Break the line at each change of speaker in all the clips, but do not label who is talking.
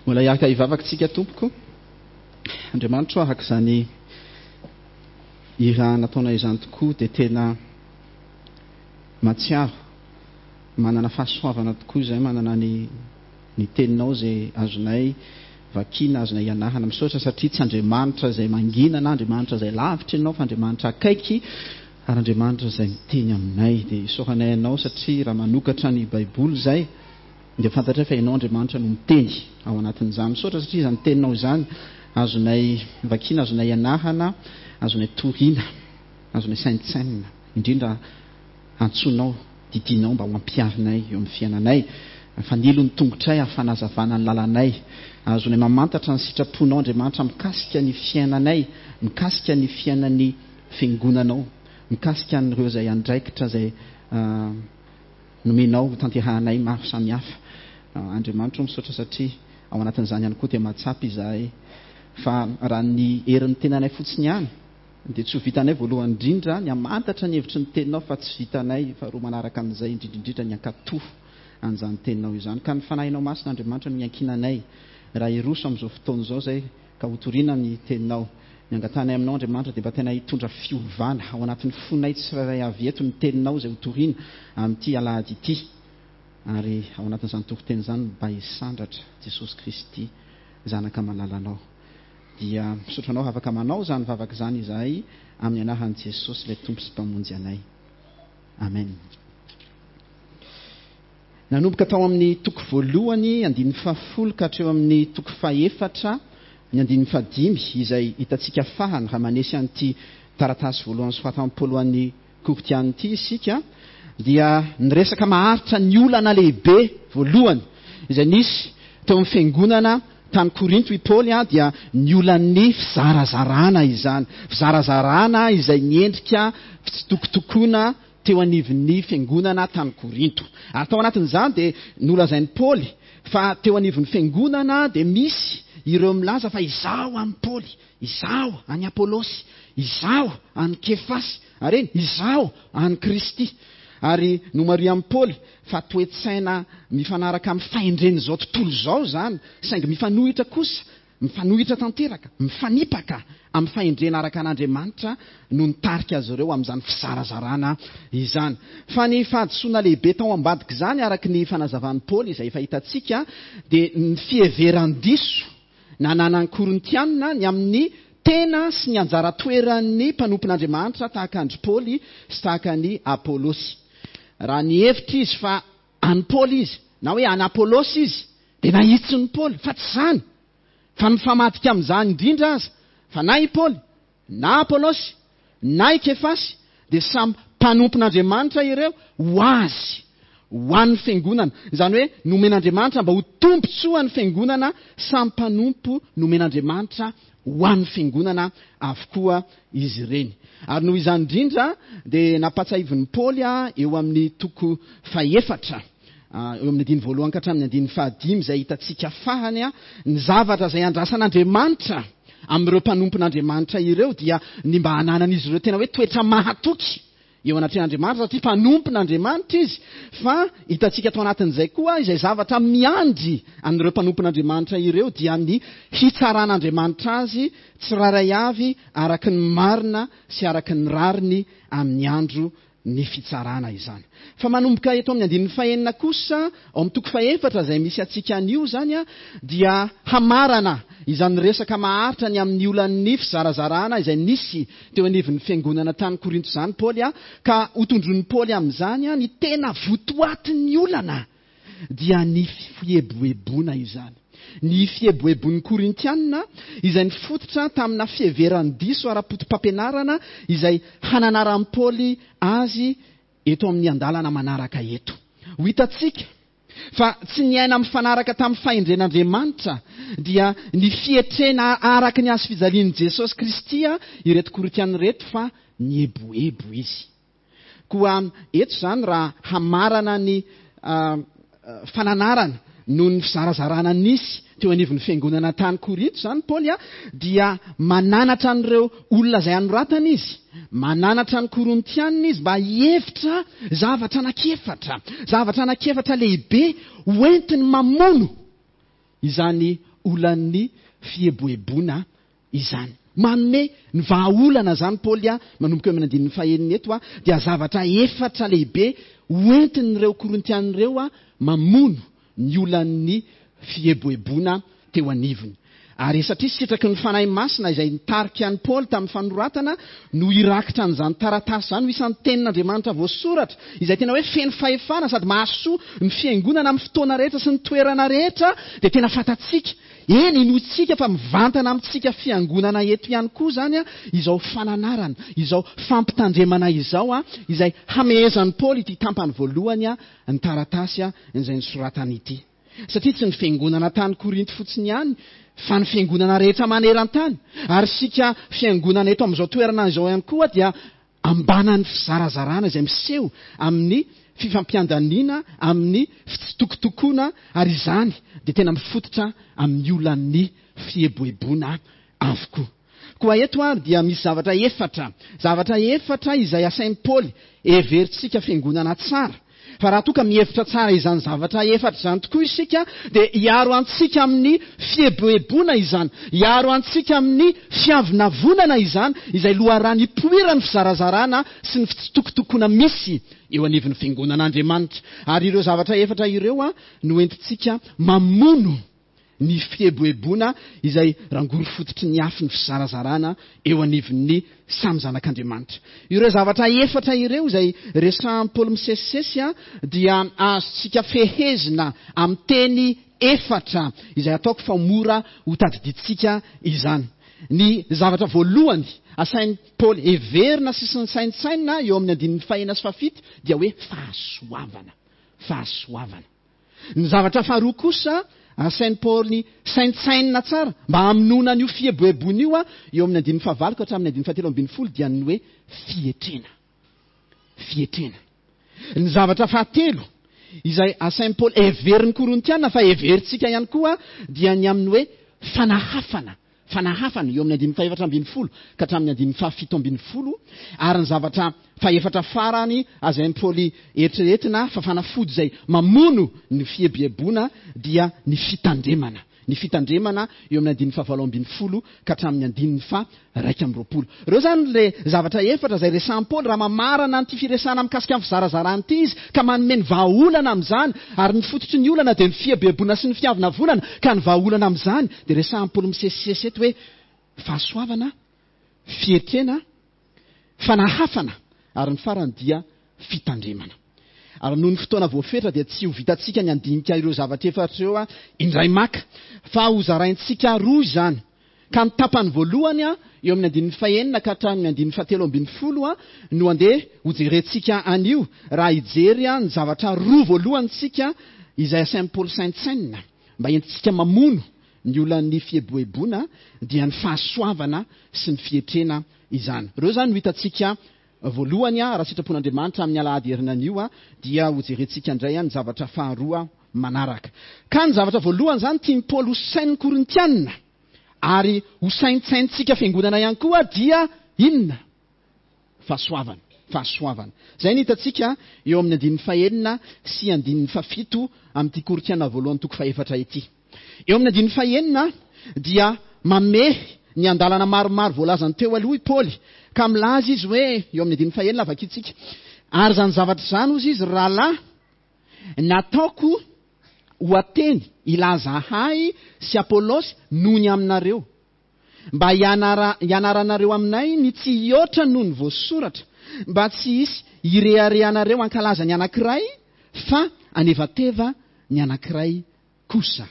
Mbola hiaraka hivavaka tsika tompoko. Andriamanitro araka izany hira nataonay izany tokoa dia tena mahatsiaro manana fahasoavana tokoa izay manana ny ny teninao izay azonay vakiana azonay ianarana. Misaotra satria tsy Andriamanitra izay mangina na Andriamanitra izay lavitra ianao fa Andriamanitra akaiky ary Andriamanitra izay miteny aminay. Dia isaoranay anao satria raha manokatra ny Baiboly izay Dia fantatray fa Ianao Andriamanitra no miteny ao anatin'izany. Misaotra satria izany teninao izany azonay vakiana, azonay ianarana, azonay toriana, azonay saintsainina, indrindra antsoinao, didianao mba ho ampiharinay eo amin'ny fiainanay. Fanilo ny tongotray ary fanazavana ny lalanay. Azonay mamantatra ny sitraponao Andriamanitra mikasika ny fiainanay, mikasika ny fiainan'ny fiangonanao, mikasika an'ireo izay andraikitra izay Nomenao ho tanterahanay maro samihafa. Andriamanitra o misaotra satria ao anatin'izany ihany koa dia mahatsapa izahay fa raha ny herin'ny tenanay fotsiny ihany dia tsy ho vitanay voalohany indrindra ny hamantatra ny hevitry ny teninao fa tsy vitanay faharoa manaraka an'izay indrindra indrindra ny hankatò an'izany teninao izany. Ka ny Fanahinao Masina Andriamanitra no iankinanay raha hiroso amin'izao fotoana izao izay ka hotorina ny teninao. Ny angatahanay aminao Andriamanitra dia mba tena hitondra fiovana ao anatin'ny fonay tsirairay avy eto ny teninao izay hotorina amin'ity alahady ity ary ao anatin'izany toriteny izany mba hisandratra Jesosy Kristy Zanaka malalanao. Dia misaotra anao raha afaka manao izany vavaka izany izahay amin'ny anaran'i Jesosy ilay Tompo sy Mpamonjy anay. Amen. Nanomboka tao amin'ny toko voalohany, andininy fahafolo ka hatreo amin'ny toko fahefatra, ny andininy fahadimy, izay hitantsika farany raha manesy an'ity taratasy voalohany soratan'i Paoly ho an'ny Korintiana ity isika, dia niresaka maharitra ny olana lehibe voalohany izay nisy teo amin'ny fiangonana tany Korinto i Paoly, dia ny olan'ny fizarazarana izany. Fizarazarana izay niendrika fitsitokotokoana teo anivon'ny fiangonana tany Korinto. Ary tao anatin'izany dia nolazain'i Paoly fa teo anivon'ny fiangonana dia misy ireo milaza fa izaho an'i Paoly, izaho an'i Apolosy, izaho an'i Kefasy, ary eny, izaho an'i Kristy. Ary nomarihan'i Paoly fa toe-tsaina mifanaraka amin'ny fahendren'izao tontolo izao izany, saingy mifanohitra kosa Mifanohitra tanteraka, mifanipaka amin'ny fahendrena araka an'Andriamanitra no nitarika azy ireo amin'izany fizarazarana izany. Fa ny fahadisoana lehibe tao ambadik'izany, araka ny fanazavan'i Paoly izay efa hitantsika, dia ny fiheveran-diso nananan'ny Korintiana ny amin'ny tena sy ny anjara toeran'ny mpanompon'Andriamanitra tahaka an-dry Paoly sy tahaka an'i Apolosy. Raha nihevitra izy fa an'i Paoly izy, na hoe an'i Apolosy izy, dia nahitsin'i Paoly, fa tsy izany, fa mifamadika amin'izany indrindra aza, fa na i Paoly, na Apolosy, na i Kefasy, dia samy mpanompon'Andriamanitra ireo ho azy, ho an'ny fiangonana. Izany hoe nomen'Andriamanitra mba ho tombontsoan'ny fiangonana, samy mpanompo nomen'Andriamanitra ho an'ny fiangonana avokoa izy ireny. Ary noho izany indrindra dia nampahatsiahivin'i Paoly eo amin'ny toko fahefatra, eo amin'ny andininy voalohany ka hatramin'ny andininy fahadimy izay hitantsika farany, ny zavatra izay andrasan'Andriamanitra amin'ireo mpanompon'Andriamanitra ireo dia ny mba hananan'izy ireo tena hoe toetra mahatoky eo anatrehan'Andriamanitra satria mpanompon'Andriamanitra izy, fa hitantsika tao anatin'izay koa izay zavatra miandry an'ireo mpanompon'Andriamanitra ireo dia ny hitsaran'Andriamanitra azy tsirairay avy araka ny marina sy araka ny rariny amin'ny andro ny fitsarana izany. Fa manomboka eto amin'ny andininy fahenina kosa, ao amin'ny toko fahefatra izay misy antsika anio izany, dia hamarana izany resaka maharitra ny amin'ny olan'ny fizarazarana izay nisy teo anivon'ny fiangonana tany Korinto izany Paoly, ka hotondroin'i Paoly amin'izany ny tena votoatin'ny olana, dia ny fieboeboana izany. Ny fieboeboan'ny Korintiana izay nifototra tamina fiheveran-diso ara-poto-pampianarana izay hananaran'i Paoly azy eto amin'ny andalana manaraka eto. Ho hitantsika fa tsy niaina mifanaraka tamin'ny fahendren'Andriamanitra, dia ny fietrena araka ny hazofijalian'i Jesosy Kristy ireto Korintiana ireto fa nieboebo izy. Koa eto izany raha hamarana ny fananarana noho ny fizarazarana nisy teo anivon'ny fiangonana tany Korinto izany Paoly dia mananatra an'ireo olona izay anoratany izy, mananatra ny Korintianina izy mba hihevitra zavatra anankiefatra, zavatra anankiefatra lehibe hoentiny mamono izany olan'ny fieboeboana izany. Manome ny vahaolana izany Paoly manomboka eo amin'ny andininy fahenina eto dia zavatra efatra lehibe hoentin'ireo Korintiana ireo mamono ny olan'ny fieboeboana teo anivony. Ary satria sitraky ny Fanahy Masina izay nitarika an'i Paoly tamin'ny fanoratana no hirakitra an'izany taratasy izany ho isan'ny Tenin'Andriamanitra voasoratra, izay tena hoe feno fahefana sady mahasoa ny Fiangonana amin'ny fotoana rehetra sy ny toerana rehetra, dia tena fantatsika, eny inoantsika fa mivantana amintsika Fiangonana eto ihany koa izany izao fananarana, izao fampitandremana izao, izay hamehezan'i Paoly ity tampany voalohany ny taratasy izay nosoratany ity. Satria tsy ny fiangonana tany Korinto fotsiny ihany fa ny fiangonana rehetra maneran-tany. Ary isika fiangonana eto amin'izao toerana izao ihany koa dia ambanan'ny fizarazarana izay miseho amin'ny fifampiandaniana, amin'ny fitsitokotokoana, ary izany dia tena mifototra amin'ny olan'ny fieboeboana avokoa. Koa eto ary dia misy zavatra efatra, zavatra efatra izay asain'i Paoly heverintsika fiangonana tsara. Fa raha toa ka mihevitra tsara izany zavatra efatra izany tokoa isika dia hiaro antsika amin'ny fieboeboana izany, hiaro antsika amin'ny fiavonavonana izany, izay loharano ipoiran'ny fizarazarana sy ny fitsitokotokoana misy eo anivon'ny fiangonan'Andriamanitra. Ary ireo zavatra efatra ireo no entintsika mamono ny fieboeboana izay rangory fototry ny afon'ny fizarazarana eo anivon'ny samy zanak'Andriamanitra. Ireo zavatra efatra ireo izay resahan'i Paoly misesisesy dia azontsika fehezina amin'ny teny efatra izay ataoko fa mora ho tadidintsika izany. Ny zavatra voalohany asain'i Paoly heverina sy saintsainina eo amin'ny andininy fahenina sy fahafito dia hoe fahasoavana. Fahasoavana. Ny zavatra faharoa kosa, asain'i Paoly saintsainina tsara mba hamonoana an'io fieboeboana io, eo amin'ny andininy fahavalo ka hatramin'ny andininy fahatelo ambin'ny folo, dia ny hoe fietrena. Fietrena. Ny zavatra fahatelo izay asain'i Paoly heverin'ny Korintiana fa heverintsika ihany koa dia ny amin'ny hoe fanahafana. Fanahafana, eo amin'ny andininy fahefatra ambin'ny folo ka hatramin'ny andininy fahafito ambin'ny folo, ary ny zavatra fahefatra farany azain'i Paoly eritreretina fa fanafody izay mamono ny fieboeboana dia ny fitandremana. Ny fitandremana eo amin'ny andininy fahavalo ambin'ny folo ka hatramin'ny andininy faha-21. Ireo izany ilay zavatra efatra izay resahin'i Paoly raha mamarana an'ity firesahana mikasika ny fizarazarana ity izy ka manome ny vahaolana amin'izany, ary ny fototry ny olana dia ny fieboeboana sy ny fiavonavonana, ka ny vahaolana amin'izany dia resahin'i Paoly misesisesy eto hoe fahasoavana, fietrena, fanahafana ary ny farany dia fitandremana. Ary noho ny fotoana voafetra dia tsy ho vitantsika ny handinika ireo zavatra efatra ireo indray maka fa hozaraintsika roa izany. Ka ny tapany voalohany eo amin'ny andininy fahenina ka hatramin'ny andininy fahatelo ambin'ny folo no andeha hojerentsika anio raha hijery ny zavatra roa voalohany isika izay asain'i Paoly saintsainina mba entintsika mamono ny olan'ny fieboeboana dia ny fahasoavana sy ny fietrena izany. Ireo izany no hitantsika voalohany raha sitrapon'Andriamanitra amin'ny alahady herinanio dia hojerentsika indray ny zavatra faharoa manaraka. Ka ny zavatra voalohany izany tian'i Paoly ho sain'ny Korintiana ary ho saintsaintsika fiangonana ihany koa dia inona? Fahasoavana. Fahasoavana. Izay no hitantsika eo amin'ny andininy fahenina sy andininy fahafito amin'ity Korintiana voalohany toko fahefatra ity. Eo amin'ny andininy fahenina dia mamehy ny andalana maromaro voalazany teo aloha i Paoly ka milaza izy hoe, eo amin'ny andininy fahenina vakintsika, Ary izany zavatra izany, hozy izy, ry rahalahy, Nataoko ho Ateny hilaza ahy sy Apolosy noho ny aminareo, mba hianaranareo aminay ny tsy hihoatra noho ny voasoratra, mba tsy hisy hireharehanareo hankalaza ny anankiray fa hanevateva ny anankiray kosa.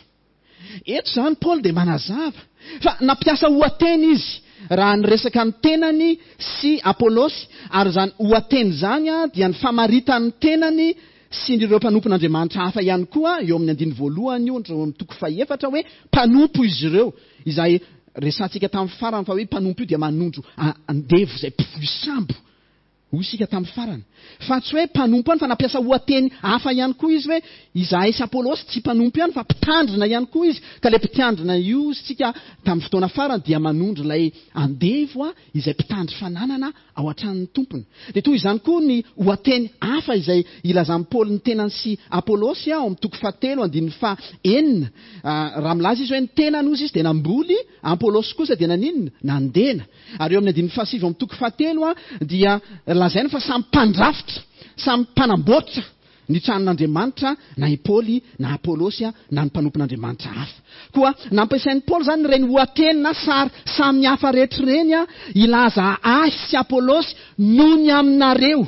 Eto izany Paoly dia manazava fa nampiasa oha-teny izy raha niresaka ny tenany sy Apolosy, ary izany oha-teny izany dia ny famaritan'ny tenany sy ireo mpanompon'Andriamanitra hafa ihany koa, eo amin'ny andininy voalohany io, eo amin'ny toko fahefatra hoe mpanompo izy ireo, izay resahantsika tamin'ny farany fa hoe mpanompo io dia manondro andevo izay mpivoy sambo. Hoy isika tamin'ny farany. Fa tsy hoe mpanompo ihany fa nampiasa oha-teny hafa ihany koa izy hoe izahay sy Apolosy tsy mpanompo ihany fa mpitandrina ihany koa izy. Ka ilay mpitandrina io hoy isika tamin'ny fotoana farany dia manondro ilay andevo izay mpitandro fananana ao an-tranon'ny tompony. Dia toy izany koa ny oha-teny hafa izay ilazan'i Paoly ny tenany sy Apolosy ao amin'ny toko fahatelo andininy faha-enina. Raha milaza izy hoe ny tenany hozy izy dia namboly, Apolosy kosa dia naninona? Nandena. Ary eo amin'ny andininy fahasivy amin'ny toko fahatelo dia lazaina fa samy mpandrafitra, samy mpanamboatra ny tranon'Andriamanitra na i Paoly na Apolosy na ny mpanompon'Andriamanitra hafa. Koa nampiasain'i Paoly izany ireny ohateny na sary samy hafa rehetra ireny hilaza ahy sy Apolosy noho ny aminareo.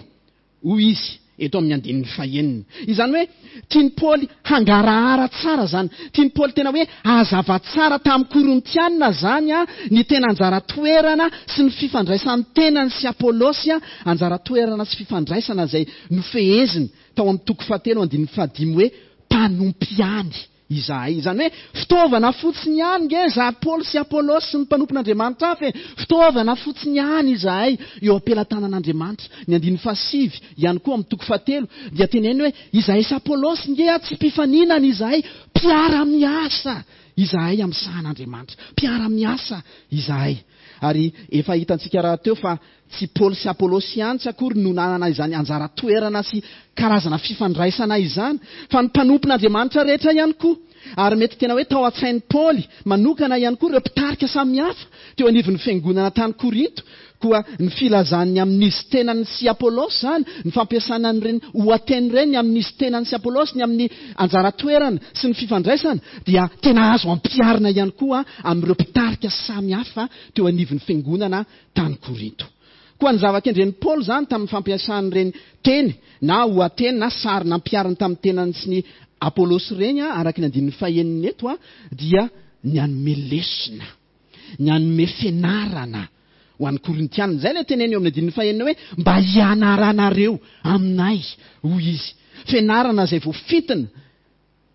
Hoy izy eto amin'ny andininy fahenina. Izany hoe tian'i Paoly hangarahara tsara izany. Tian'i Paoly tena hoe hazava tsara tamin'ny Korintiana izany ny tena anjara toerana sy ny fifandraisan'ny tenany sy Apolosy, anjara toerana sy fifandraisana izay nofeheziny tao amin'ny toko fahatelo andininy fahadimy hoe mpanompo ihany. Izahay. Izany hoe fitaovana fotsiny ihany nge izahay Paoly sy Apolosy sy ny mpanompon'Andriamanitra hafa e! Fitaovana fotsiny ihany izahay eo am-pelatanan'Andriamanitra. Ny andininy fahasivy ihany koa amin'ny toko fahatelo dia teneniny hoe izahay sy Apolosy nge a tsy mpifaninana izahay, mpiara-miasa izahay amin'ny sahan'Andriamanitra. Mpiara-miasa izahay. Ary efa hitantsika rahateo fa Tsy Paoly sy Apolosy ihany tsy akory no nanana izany anjara toerana sy karazana fifandraisana izany, fa ny mpanompon'Andriamanitra rehetra ihany koa. Ary mety tena hoe tao an-tsain'i Paoly manokana ihany koa ireo mpitarika samihafa teo anivon'ny fiangonana tany Korinto. Koa ny filazany ny amin'izy tenany sy Apolosy izany, ny fampiasana an'ireny oha-teny ireny ny amin'izy tenany sy Apolosy, ny amin'ny anjara toerana sy ny fifandraisana, dia tena azo ampiharina ihany koa amin'ireo mpitarika samihafa teo anivon'ny fiangonana tany Korinto. Koa ny zava-kendren'i Paoly izany tamin'ny fampiasany ireny teny na oha-teny na sary nampihariny tamin'ny tenany sy ny Apolosy ireny, araka ny andininy fahenina eto, dia ny hanome lesona, ny hanome fianarana ho an'ny Korintiana. Izay ilay teneny eo amin'ny andininy fahenina hoe mba hianaranareo aminay, hoy izy. Fianarana izay voafintina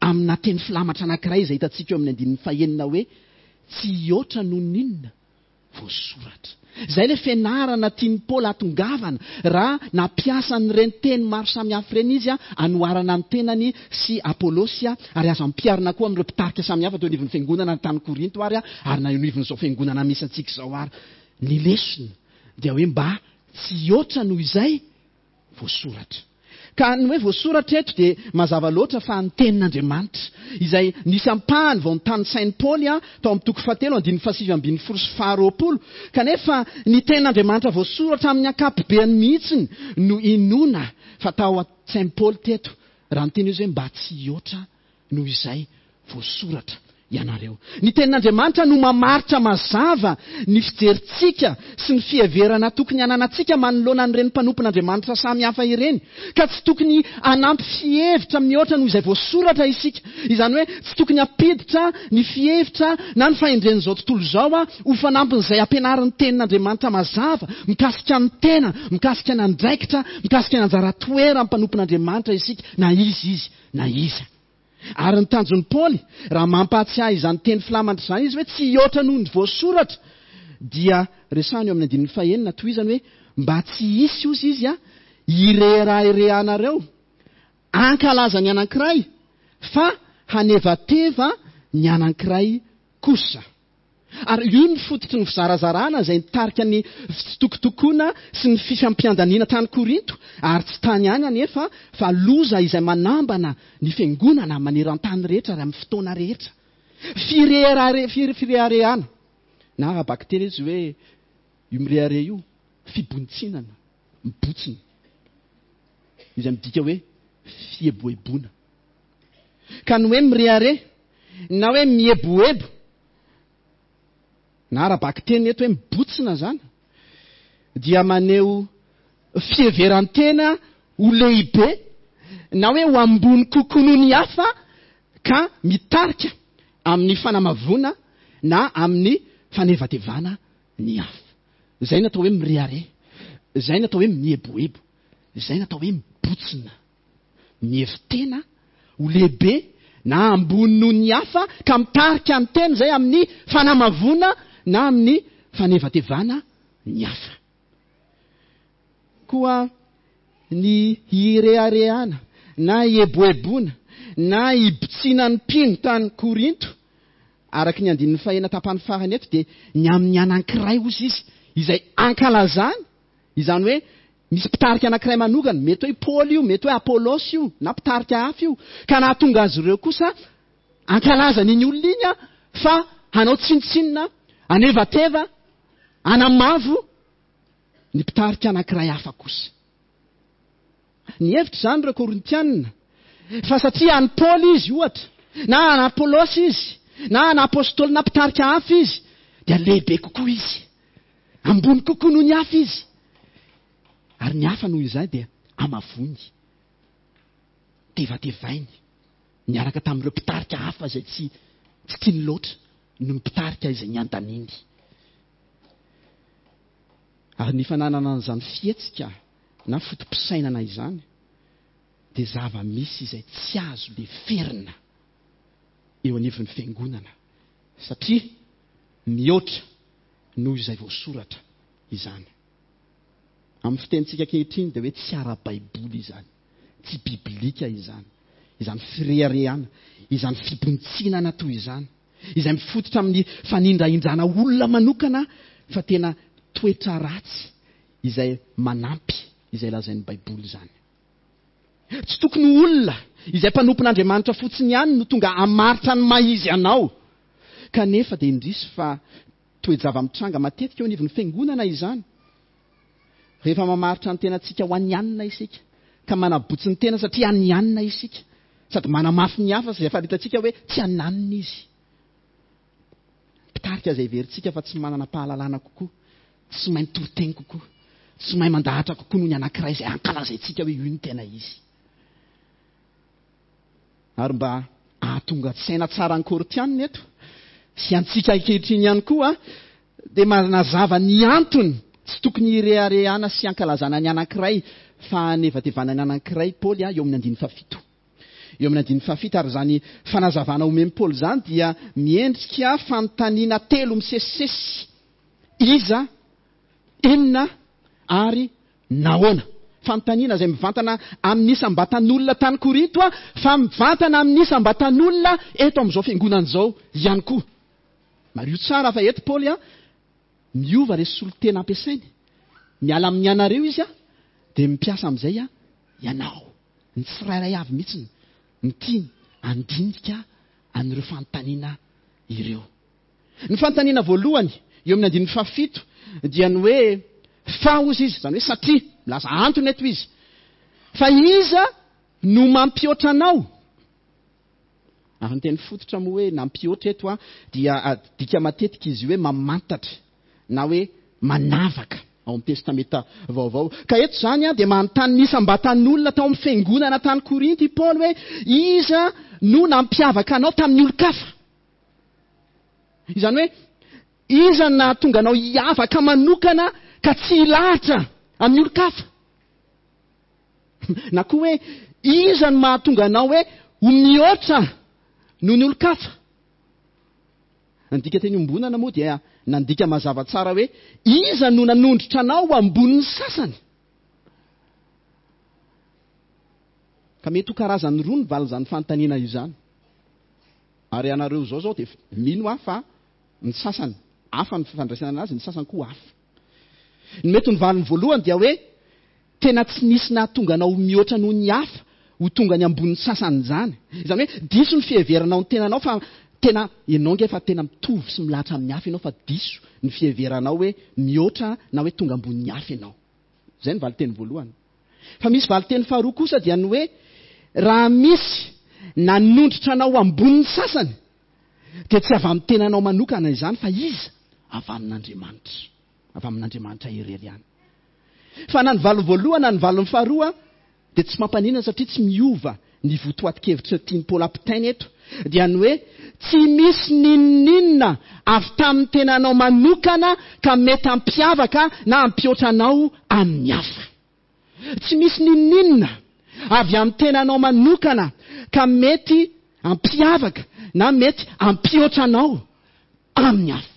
amina teny filamatra anankiray izay hitantsika eo amin'ny andininy fahenina hoe tsy hihoatra noho ny inona? voasoratra. Izay ilay fianarana tian'i Paoly hahatongavana raha nampiasa an'ireny teny maro samihafa ireny izy hanoharana ny tenany sy Apolosy ary azo ampiharina koa amin'ireo mpitarika samihafa teo anivon'ny fiangonana tany Korinto ary ary na eo anivon'izao fiangonana misy antsika izao ary. Ny lesona dia hoe mba tsy hihoatra noho izay voasoratra. Ka ny hoe voasoratra eto dia mazava loatra fa ny Tenin'Andriamanitra, izay nisy ampahany vao notanisain'i Paoly tao amin'ny toko fahatelo andininy fahasivy ambin'ny folo sy faharoapolo, kanefa ny Tenin'Andriamanitra voasoratra amin'ny ankapobeany mihitsy no inoana fa tao an-tsain'i Paoly teto raha niteny izy hoe mba tsy hihoatra noho izay voasoratra ianareo. Ny Tenin'Andriamanitra no mamaritra mazava ny fijerintsika sy ny fiheverana tokony hananantsika manoloana an'ireny mpanompon'Andriamanitra samy hafa ireny, ka tsy tokony hanampy fihevitra mihoatra noho izay voasoratra isika. Izany hoe tsy tokony hampiditra ny fihevitra na ny fahendren'izao tontolo izao ho fanampin'izay ampianarin'ny Tenin'Andriamanitra mazava mikasika ny tena, mikasika ny andraikitra, mikasika ny anjara toeran'ny mpanompon'Andriamanitra isika, na iza izy na iza. Ary ny tanjon'i Paoly, raha mampahatsiahy izany teny filamatra izany izy hoe tsy hihoatra noho ny voasoratra, dia resahiny eo amin'ny andininy fahenina, tohizany hoe, mba tsy hisy, hozy izy, hireharehanareo hankalaza ny anankiray, fa hanevateva ny anankiray kosa. Ary io no fototry ny fizarazarana izay nitarika ny fitsitokotokoana sy ny fifampiandaniana tany Korinto, ary tsy tany ihany anefa fa loza izay manambana ny fiangonana maneran-tany rehetra ary amin'ny fotoana rehetra. Fireharehana, fireharehana, na ara-bakiteny izy hoe io mirehareha io, fibontsinana, mibotsina, izay midika hoe fieboeboana. Ka ny hoe mirehareha na hoe mieboebo na ara-bakiteny eto hoe mibotsina izany dia maneho fiheveran-tena ho lehibe na hoe ho ambony kokoa noho ny hafa ka mitarika amin'ny fanamavoana na amin'ny fanevatevana ny hafa. Izay no atao hoe mirehareha, izay no atao hoe mieboebo, izay no atao hoe mibotsina. Mihevi-tena ho lehibe na ambony noho ny hafa ka mitarika ny tena izay amin'ny fanamavoana na amin'ny fanevatevana ny hafa. Koa ny hireharehana na hieboeboana na hibotsiana ny mpino tany Korinto, araka ny andininy fahenina tapany farany eto, dia ny amin'ny anankiray, hozy izy, izay ankalazany, izany hoe misy mpitarika anankiray manokana, mety hoe i Paoly io, mety hoe Apolosy io, na mpitarika hafa io, ka nahatonga azy ireo kosa hankalaza an'iny olona iny fa hanao tsinontsinona, hanevateva, hanamavo ny mpitarika anankiray hafa kosa. Nihevitra izany ireo Korintianina fa satria an'i Paoly izy, ohatra, na an'i Apolosy izy, na an'i apostoly na mpitarika hafa izy, dia lehibe kokoa izy, ambony kokoa noho ny hafa izy. Ary ny hafa noho izay dia amavoiny, tevatevainy, niaraka tamin'ireo mpitarika hafa izay tsy tsy tiany loatra noho ny mpitarika izay niandaniny. Ary ny fananana an'izany fihetsika na foto-pisainana izany dia zava-misy izay tsy azo leferina eo anivon'ny fiangonana satria mihoatra noho izay voasoratra izany. Amin'ny fitenintsika ankehitriny dia hoe tsy ara-baiboly izany, tsy biblika izany, izany fireharehana, izany fibontsinana toy izany. izay mifototra amin'ny fanindrahindrana olona manokana fa tena toetra ratsy izay manampy izay lazain'ny Baiboly izany. Tsy tokony ho olona izay mpanompon'Andriamanitra fotsiny ihany no tonga hamaritra ny maha izy anao. Kanefa dia indrisy fa toe-java-mitranga matetika eo anivon'ny fiangonana izany. Rehefa mamaritra ny tenantsika ho an'i anona isika, ka manabotsy ny tena satria an'i anona isika, sady manamafy ny hafa izay faritantsika hoe tsy ananona izy. Mpitarika izay heverintsika fa tsy manana pahalalana kokoa, tsy mahay mitoriteny kokoa, tsy mahay mandahatra kokoa noho ny anankiray izay ankalazaintsika hoe io no tena izy. Ary mba hahatonga saina tsara ny Korintianina eto, sy antsika ankehitriny ihany koa, dia manazava ny antony tsy tokony hireharehana sy hankalazana ny anankiray fa hanevatevana ny anankiray Paoly eo amin'ny andininy fahafito. Eo amin'ny andininy fahafito, ary izany fanazavana omen'i Paoly izany dia miendrika fanontaniana telo misesisesy, Iza, inona ary Nahoana? Fanontaniana izay mivantana amin'ny isam-batan'olona tany Korinto fa mivantana amin'ny isam-batan'olona eto amin'izao fiangonana izao ihany koa. Mariho tsara fa eto Paoly miova ilay solontena ampiasainy. Miala amin'ny ianareo izy dia mpiasa amin'izay ianao. Ny tsirairay avy mihitsy no tiany handinika an'ireo fanontaniana ireo. Ny fanontaniana voalohany eo amin'ny andininy fahafito dia ny hoe fa hozy izy, izany hoe satria, milaza antony eto izy. Fa iza no mampihoatra anao? Ary ny teny fototra moa hoe nampihoatra eto dia adika matetika izy io hoe mamantatra na hoe manavaka ao amin'ny Testamenta Vaovao. Ka eto izany dia manontany ny isam-batan'olona tao amin'ny fiangonana tany Korinto i Paoly hoe iza no nampiavaka anao tamin'ny olon-kafa? Izany hoe, iza no nahatonga anao hiavaka manokana ka tsy hilahatra amin'ny olon-kafa? Na koa hoe, iza no mahatonga anao hoe ho mihoatra noho ny olon-kafa? Ny dikanteny iombonana moa dia nandika mazava tsara hoe, iza no nanondrotra anao ho ambonin'ny sasany? Ka mety ho karazany roa ny valin'izany fanontaniana izany. Ary ianareo izao izao dia mino aho fa ny sasany hafa ny fifandraisana anazy, ny sasany koa hafa. Ny mety ho ny valiny voalohany dia hoe tena tsy nisy nahatonga anao ho mihoatra noho ny hafa ho tonga any ambonin'ny sasany izany. Izany hoe diso ny fiheveranao ny tenanao fa tena ianao ange fa tena mitovy sy milahatra amin'ny hafa ianao fa diso ny fiheveranao hoe mihoatra na hoe tonga ambonin'ny hafa ianao. Izay ny valinteny voalohany. Fa misy valinteny faharoa kosa dia ny hoe raha misy nanondrotra anao ho ambonin'ny sasany dia tsy avy amin'ny tenanao manokana izany fa iza? Avy amin'Andriamanitra. Avy amin'Andriamanitra irery ihany. Fa na ny valiny voalohany na ny valiny faharoa dia tsy mampaninona satria tsy miova ny votoatin-kevitra tian'i Paoly ampitaina eto dia ny hoe tsy misy n'inon'inona avy tamin'ny tenanao manokana ka mety hampiavaka na hampihoatra anao amin'ny hafa. Tsy misy n'inon'inona avy amin'ny tenanao manokana ka mety hampiavaka na mety hampihoatra anao amin'ny hafa.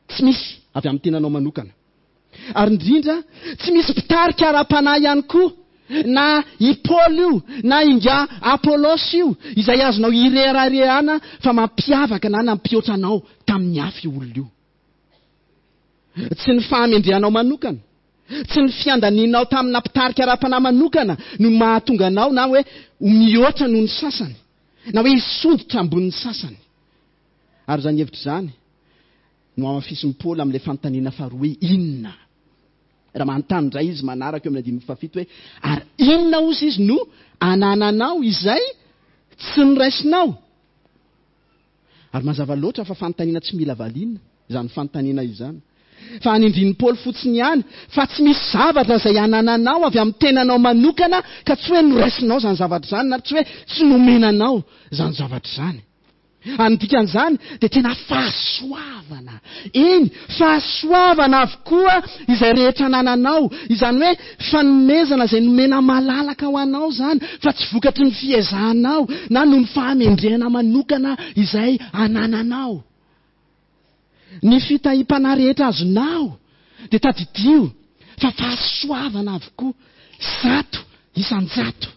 Tsy misy avy amin'ny tenanao manokana. Ary indrindra, tsy misy mpitarika ara-panahy ihany koa, na i Paoly io, na ingahy Apolosy io, izay azonao ireharehana fa mampiavaka na nampihoatra anao tamin'ny hafa io olona io. Tsy ny fahamendrehanao manokana, tsy ny fiandanianao tamina mpitarika ara-panahy manokana no mahatonga anao na hoe ho mihoatra noho ny sasany, na hoe hisondrotra ambonin'ny sasany. Ary izany hevitra izany no hamafisin'i Paoly amin'ilay fanontaniana faharoa hoe inona? Raha manontany indray izy manaraka eo amin'ny andininy fahafito hoe ary inona ozy izy no anananao izay tsy noraisinao? Ary mazava loatra fa fanontaniana tsy mila valiana izany fanontaniana izany. Fa anindrian'i Paoly fotsiny ihany fa tsy misy zavatra izay anananao avy amin'ny tenanao manokana ka tsy hoe noraisinao izany zavatra izany na tsy hoe tsy nomena anao izany zavatra izany. Ary ny dikan'izany dia tena fahasoavana. Eny, fahasoavana avokoa izay rehetra anananao. Izany hoe fanomezana izay nomena malalaka ho anao izany fa tsy vokatry ny fiezahanao na noho ny fahamendrehana manokana izay anananao. Ny fitahiam-panahy rehetra azonao dia tadidio fa fahasoavana avokoa, 100%.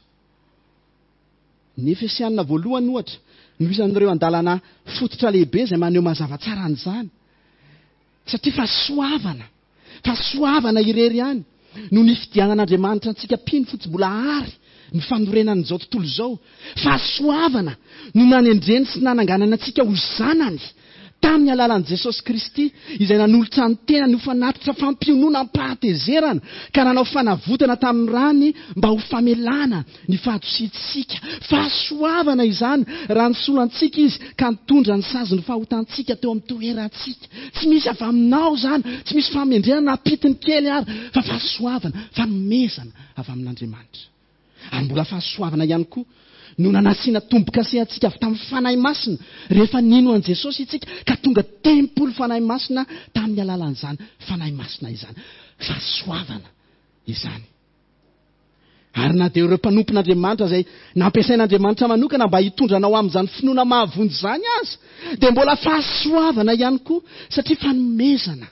Ny Efesianina voalohany, ohatra, no isan'ireo andalana fototra lehibe izay maneho mazava tsara an'izany. Satria fahasoavana, fahasoavana irery ihany no nifidianan'Andriamanitra antsika mpino fony tsy mbola àry ny fanorenan'izao tontolo izao. Fahasoavana no nanendreny sy nananganany antsika ho zanany tamin'ny alalan'i Jesosy Kristy, izay nanolotra ny tenany ho fanatitra fampionona am-pahatezerana, ka nanao fanavotana tamin'ny rany mba ho famelana ny fahadosiantsika. Fahasoavana izany raha nisolo antsika Izy ka nitondra ny sazin'ny fahotantsika teo amin'ny toerantsika. Tsy misy avy aminao izany, tsy misy fahamendrehana na pitiny kely ary, fa fahasoavana, fanomezana avy amin'Andriamanitra. Ary mbola fahasoavana ihany koa no nanasiana tombo-kase antsika avy tamin'ny Fanahy Masina rehefa nino an'i Jesosy isika ka tonga tempoly Fanahy Masina tamin'ny alalan'izany Fanahy Masina izany. Fahasoavana izany. Ary na dia ireo mpanompon'Andriamanitra izay nampiasain'Andriamanitra manokana mba hitondra anao amin'izany finoana mahavonjy izany aza dia mbola fahasoavana ihany koa satria fanomezana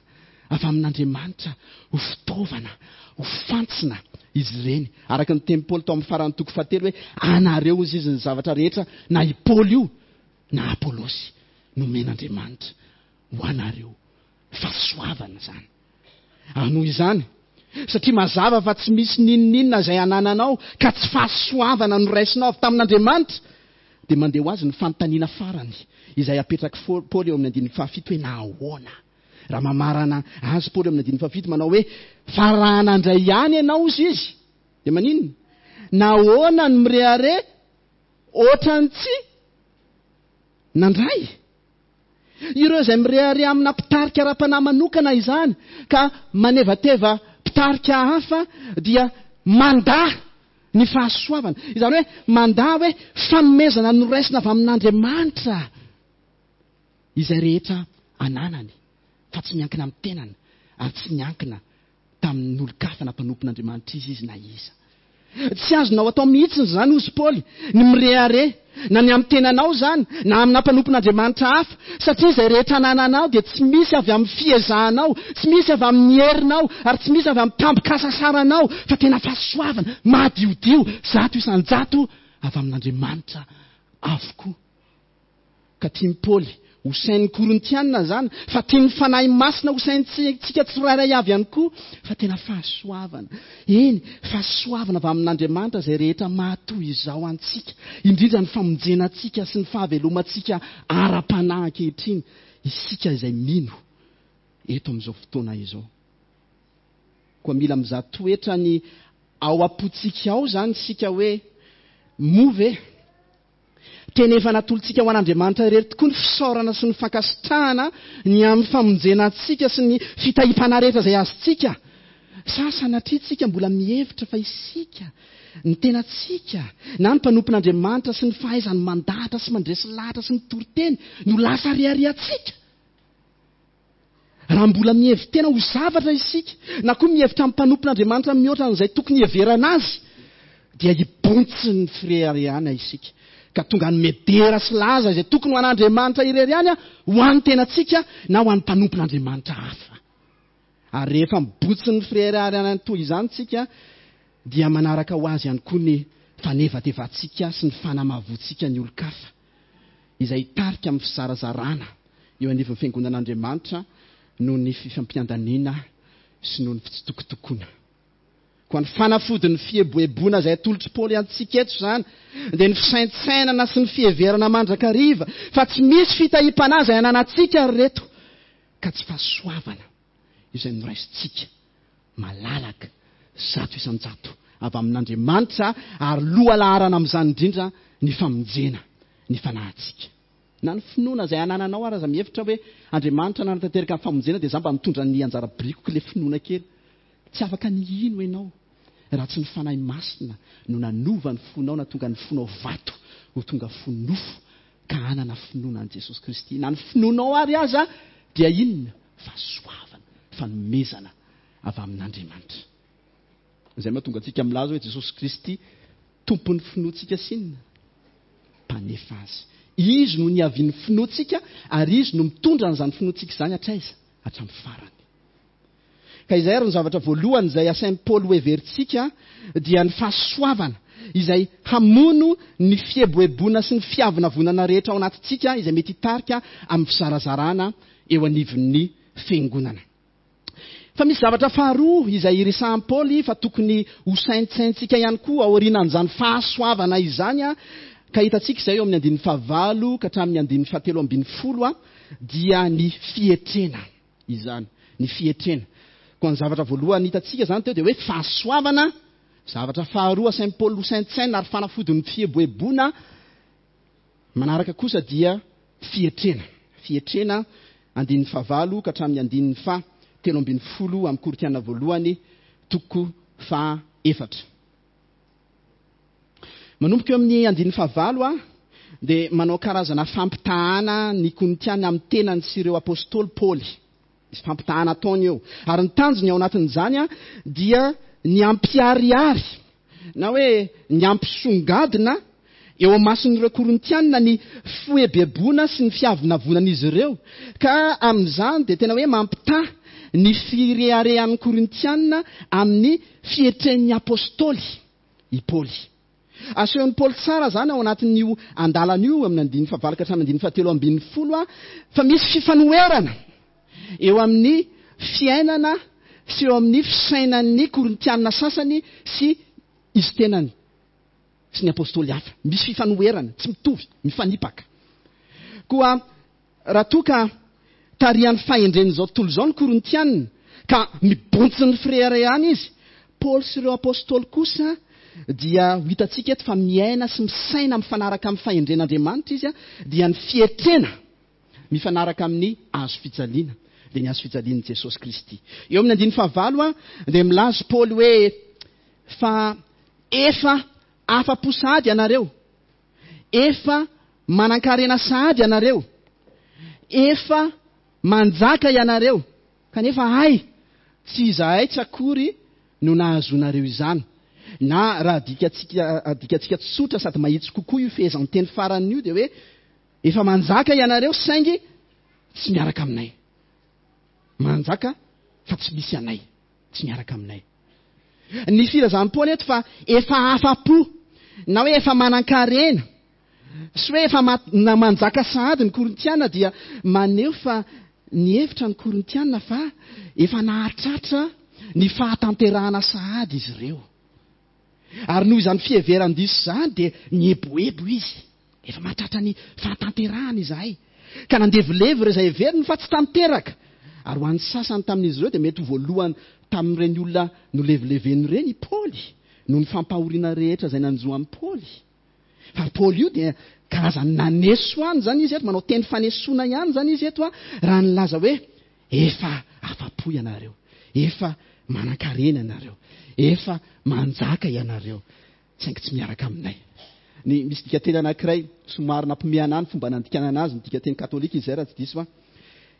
avy amin'Andriamanitra ho fitaovana, ho fantsona izy ireny. Araka ny tenin'i Paoly tao amin'ny faran'ny toko fahatelo hoe, Anareo hozy izy ny zavatra rehetra, na i Paoly io na Apolosy, nomen'Andriamanitra ho anareo. Fahasoavana izany. Ary noho izany, satria mazava fa tsy misy n'inon'inona izay anananao ka tsy fahasoavana noraisinao avy tamin'Andriamanitra, dia mandeha ho azy ny fanontaniana farany izay apetrak'i Paoly eo amin'ny andininy fahafito hoe, Nahoana? Raha mamarana azy Paoly amin'ny andininy fahafito manao hoe, Fa raha nandray ihany ianao, hozy izy, dia maninona? Nahoana no mirehareha ohatran'ny tsy nandray? Ireo izay mirehareha amina mpitarika ara-panahy manokana izany ka manevateva mpitarika hafa dia mandà ny fahasoavana. Izany hoe mandà hoe fanomezana noraisina avy amin'Andriamanitra izay rehetra ananany fa tsy miankina amin'ny tenany ary tsy niankina tamin'olon-kafa na mpanompon'Andriamanitra iza izy na iza. Tsy azonao atao mihitsy izany, hozy Paoly, ny mirehareha, na ny amin'ny tenanao izany, na amina mpanompon'Andriamanitra hafa, satria izay rehetra anananao dia tsy misy avy amin'ny fiezahanao, tsy misy avy amin'ny herinao, ary tsy misy avy amin'ny tambin-kasasaranao, fa tena fahasoavana madiodio, 100% avy amin'Andriamanitra avokoa. Ka tian'i Paoly ho sain'ny Korintiana izany, fa tian'ny Fanahy Masina ho saintsika tsirairay avy ihany koa, fa tena fahasoavana. Eny, fahasoavana avy amin'Andriamanitra izay rehetra mahatoy izao antsika, indrindra ny famonjena antsika sy ny fahavelomantsika ara-panahy ankehitriny, isika izay mino eto amin'izao fotoana izao. Koa mila mizaha toetra ny ao am-pontsika ao izany isika hoe, moa ve Tena efa natolotsika ho an'Andriamanitra irery tokoa ny fisaorana sy ny fankasitrahana ny amin'ny famonjena antsika sy ny fitahiam-panahy rehetra izay azontsika. Sa sanatria tsika mbola mihevitra fa isika, ny tenantsika, na ny mpanompon'Andriamanitra sy ny fahaizany mandahatra sy mandresy lahatra sy mitory teny no lasa reharehantsika? Raha mbola mihevi-tena ho zavatra isika, na koa mihevitra ny mpanompon'Andriamanitra mihoatra an'izay tokony hiheverana azy, dia hibontsin'ny fireharehana isika, ka tonga hanome dera sy laza izay tokony ho an'Andriamanitra irery ihany ho an'ny tenantsika na ho an'ny mpanompon'Andriamanitra hafa. Ary rehefa mibotsin'ny fireharehana toy izany isika dia manaraka ho azy ihany koa ny fanevatevantsika sy ny fanamavoantsika ny olon-kafa izay hitarika amin'ny fizarazarana eo anivon'ny Fiangonan'Andriamanitra noho ny fifampiandaniana sy noho ny fitsitokotokoana. Koa ny fanafodin'ny fieboeboana izay atolotr'i Paoly antsika eto izany dia ny fisaintsainana sy ny fiheverana mandrakariva fa tsy misy fitahiam-panahy izay ananantsika ry reto ka tsy fahasoavana izay noraisintsika malalaka 100% avy amin'Andriamanitra ary lohalaharana amin'izany indrindra ny famonjena ny fanahintsika. Na ny finoana izay anananao ary aza mihevitra hoe Andriamanitra nanatanteraka ny famonjena dia za mba mitondra ny anjara birikiko ilay finoana kely. Tsy afaka ny hino ianao raha tsy ny Fanahy Masina no nanova ny fonao na tonga ny fonao vato ho tonga fo nofo ka hanana finoana an'i Jesosy Kristy. Na ny finoanao ary aza dia inona? Fahasoavana, fanomezana avy amin'Andriamanitra. Izay mahatonga antsika milaza hoe Jesosy Kristy Tompon'ny finoantsika sy inona? Mpanefa azy. Izy no niavian'ny finoantsika ary Izy no mitondra an'izany finoantsika izany hatraiza? Hatramin'ny farany. Ka izay ary ny zavatra voalohany izay asain'i Paoly hoheverintsika dia ny fahasoavana izay hamono ny fieboeboana sy ny fiavonavonana rehetra ao anatintsika izay mety hitarika amin'ny fizarazarana eo anivon'ny fiangonana. Fa misy zavatra faharoa izay iresahan'i Paoly fa tokony hosaintsaintsika ihany koa aorianan'izany fahasoavana izany, ka hitantsika izay eo amin'ny andininy fahavalo ka hatramin'ny andininy fahatelo ambinifolo, dia ny fietrena izany. Ny fietrena. Koa ny zavatra voalohany hitantsika izany teo dia hoe fahasoavana, zavatra faharoa asain'i Paoly hosaintsaina ary fanafodin'ny fieboeboana, Manaraka kosa dia fietrena. Fietrena, andininy fahavalo ka hatramin'ny andininy faha 13 amin'ny Korintiana voalohany toko faha efatra. Manomboka eo amin'ny andininy fahavalo a, dia manao karazana fampitahana ny Korintiana amin'ny tenany sy ireo apostoly Paoly. Misy fampitahana ataony eo. Ary ny tanjony ao anatin'izany dia ny hampiharihary na hoe ny hampisongadina eo imason'ireo Korintiana ny fieboeboana sy ny fiavonavonan'izy ireo. Ka amin'izany dia tena hoe mampitaha ny fireharehan'ny Korintiana amin'ny fietren'ny apostoly i Paoly. Asehon'i Paoly tsara izany ao anatin'io andalana io, amin'ny andininy fahavalo ka hatramin'ny andininy fahatelo ambinifolo, fa misy fifanoherana eo amin'ny fiainana sy eo amin'ny fisainan'ny Korintiana sasany sy izy tenany sy ny apostoly hafa. Misy fifanoherana, tsy mitovy, mifanipaka. Koa Raha toa ka tarihan'ny fahendren'izao tontolo izao ny Korintiana, ka mibontsin'ny fireharehana izy, Paoly sy ireo apostoly kosa dia ho hitantsika eto fa miaina sy misaina mifanaraka amin'ny fahendren'Andriamanitra izy, dia ny fietrena mifanaraka amin'ny hazo fijaliana, dia ny hazo fijalian'i Jesosy Kristy. Eo amin'ny andininy fahavalo dia milaza Paoly hoe, Fa efa afa-po sahady ianareo, Efa manankarena sahady ianareo, efa manjaka ianareo, kanefa hay tsy izahay tsy akory no nahazoanareo izany. Na raha adikatsika adikatsika tsotra sady mahitsy kokoa io fehezanteny farany io dia hoe efa manjaka ianareo saingy tsy miaraka aminay. Manjaka fa tsy misy anay, tsy miaraka aminay. Ny filazan'i Paoly eto fa efa afa-po na hoe efa manan-karena sy hoe efa na manjaka sahady ny Korintiana dia maneho fa nihevitra ny Korintiana fa efa nahatratra ny fahatanterahana sahady izy ireo. Ary noho izany fiheveran-diso izany dia nieboebo izy. Efa mahatratra ny fahatanterahana izahay. Ka nandevilevy ireo izay heveriny fa tsy tanteraka. Ary ho an'ny sasany tamin'izy ireo dia mety ho voalohany tamin'ireny olona nolevileveny ireny i Paoly, noho ny fampahoriana rehetra izay nanjo an'i Paoly. Fa Paoly io dia karazany naneso ihany izany izy eto, manao teny fanesoana ihany izany izy eto, raha nilaza hoe, Efa afa-po ianareo, efa manan-karena ianareo, efa manjaka ianareo, saingy tsy miaraka aminay. Ny misy dikanteny anankiray somary nampimehana ahy ny fomba nandikanana azy, ny dikanteny katolika izy izay raha tsy diso aho.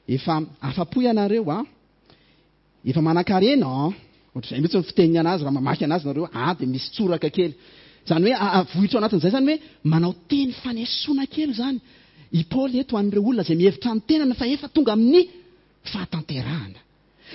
Efa afa-po ianareo an, efa manan-karena an, ohatr'izay mihitsy ny fiteniny anazy raha mamaky anazy nareo, an dia misy tsoraka kely. Izany hoe avohitra ao anatin'izay izany hoe manao teny fanesoana kely izany i Paoly eto an'ireo olona izay mihevitra ny tenany fa efa tonga amin'ny fahatanterahana.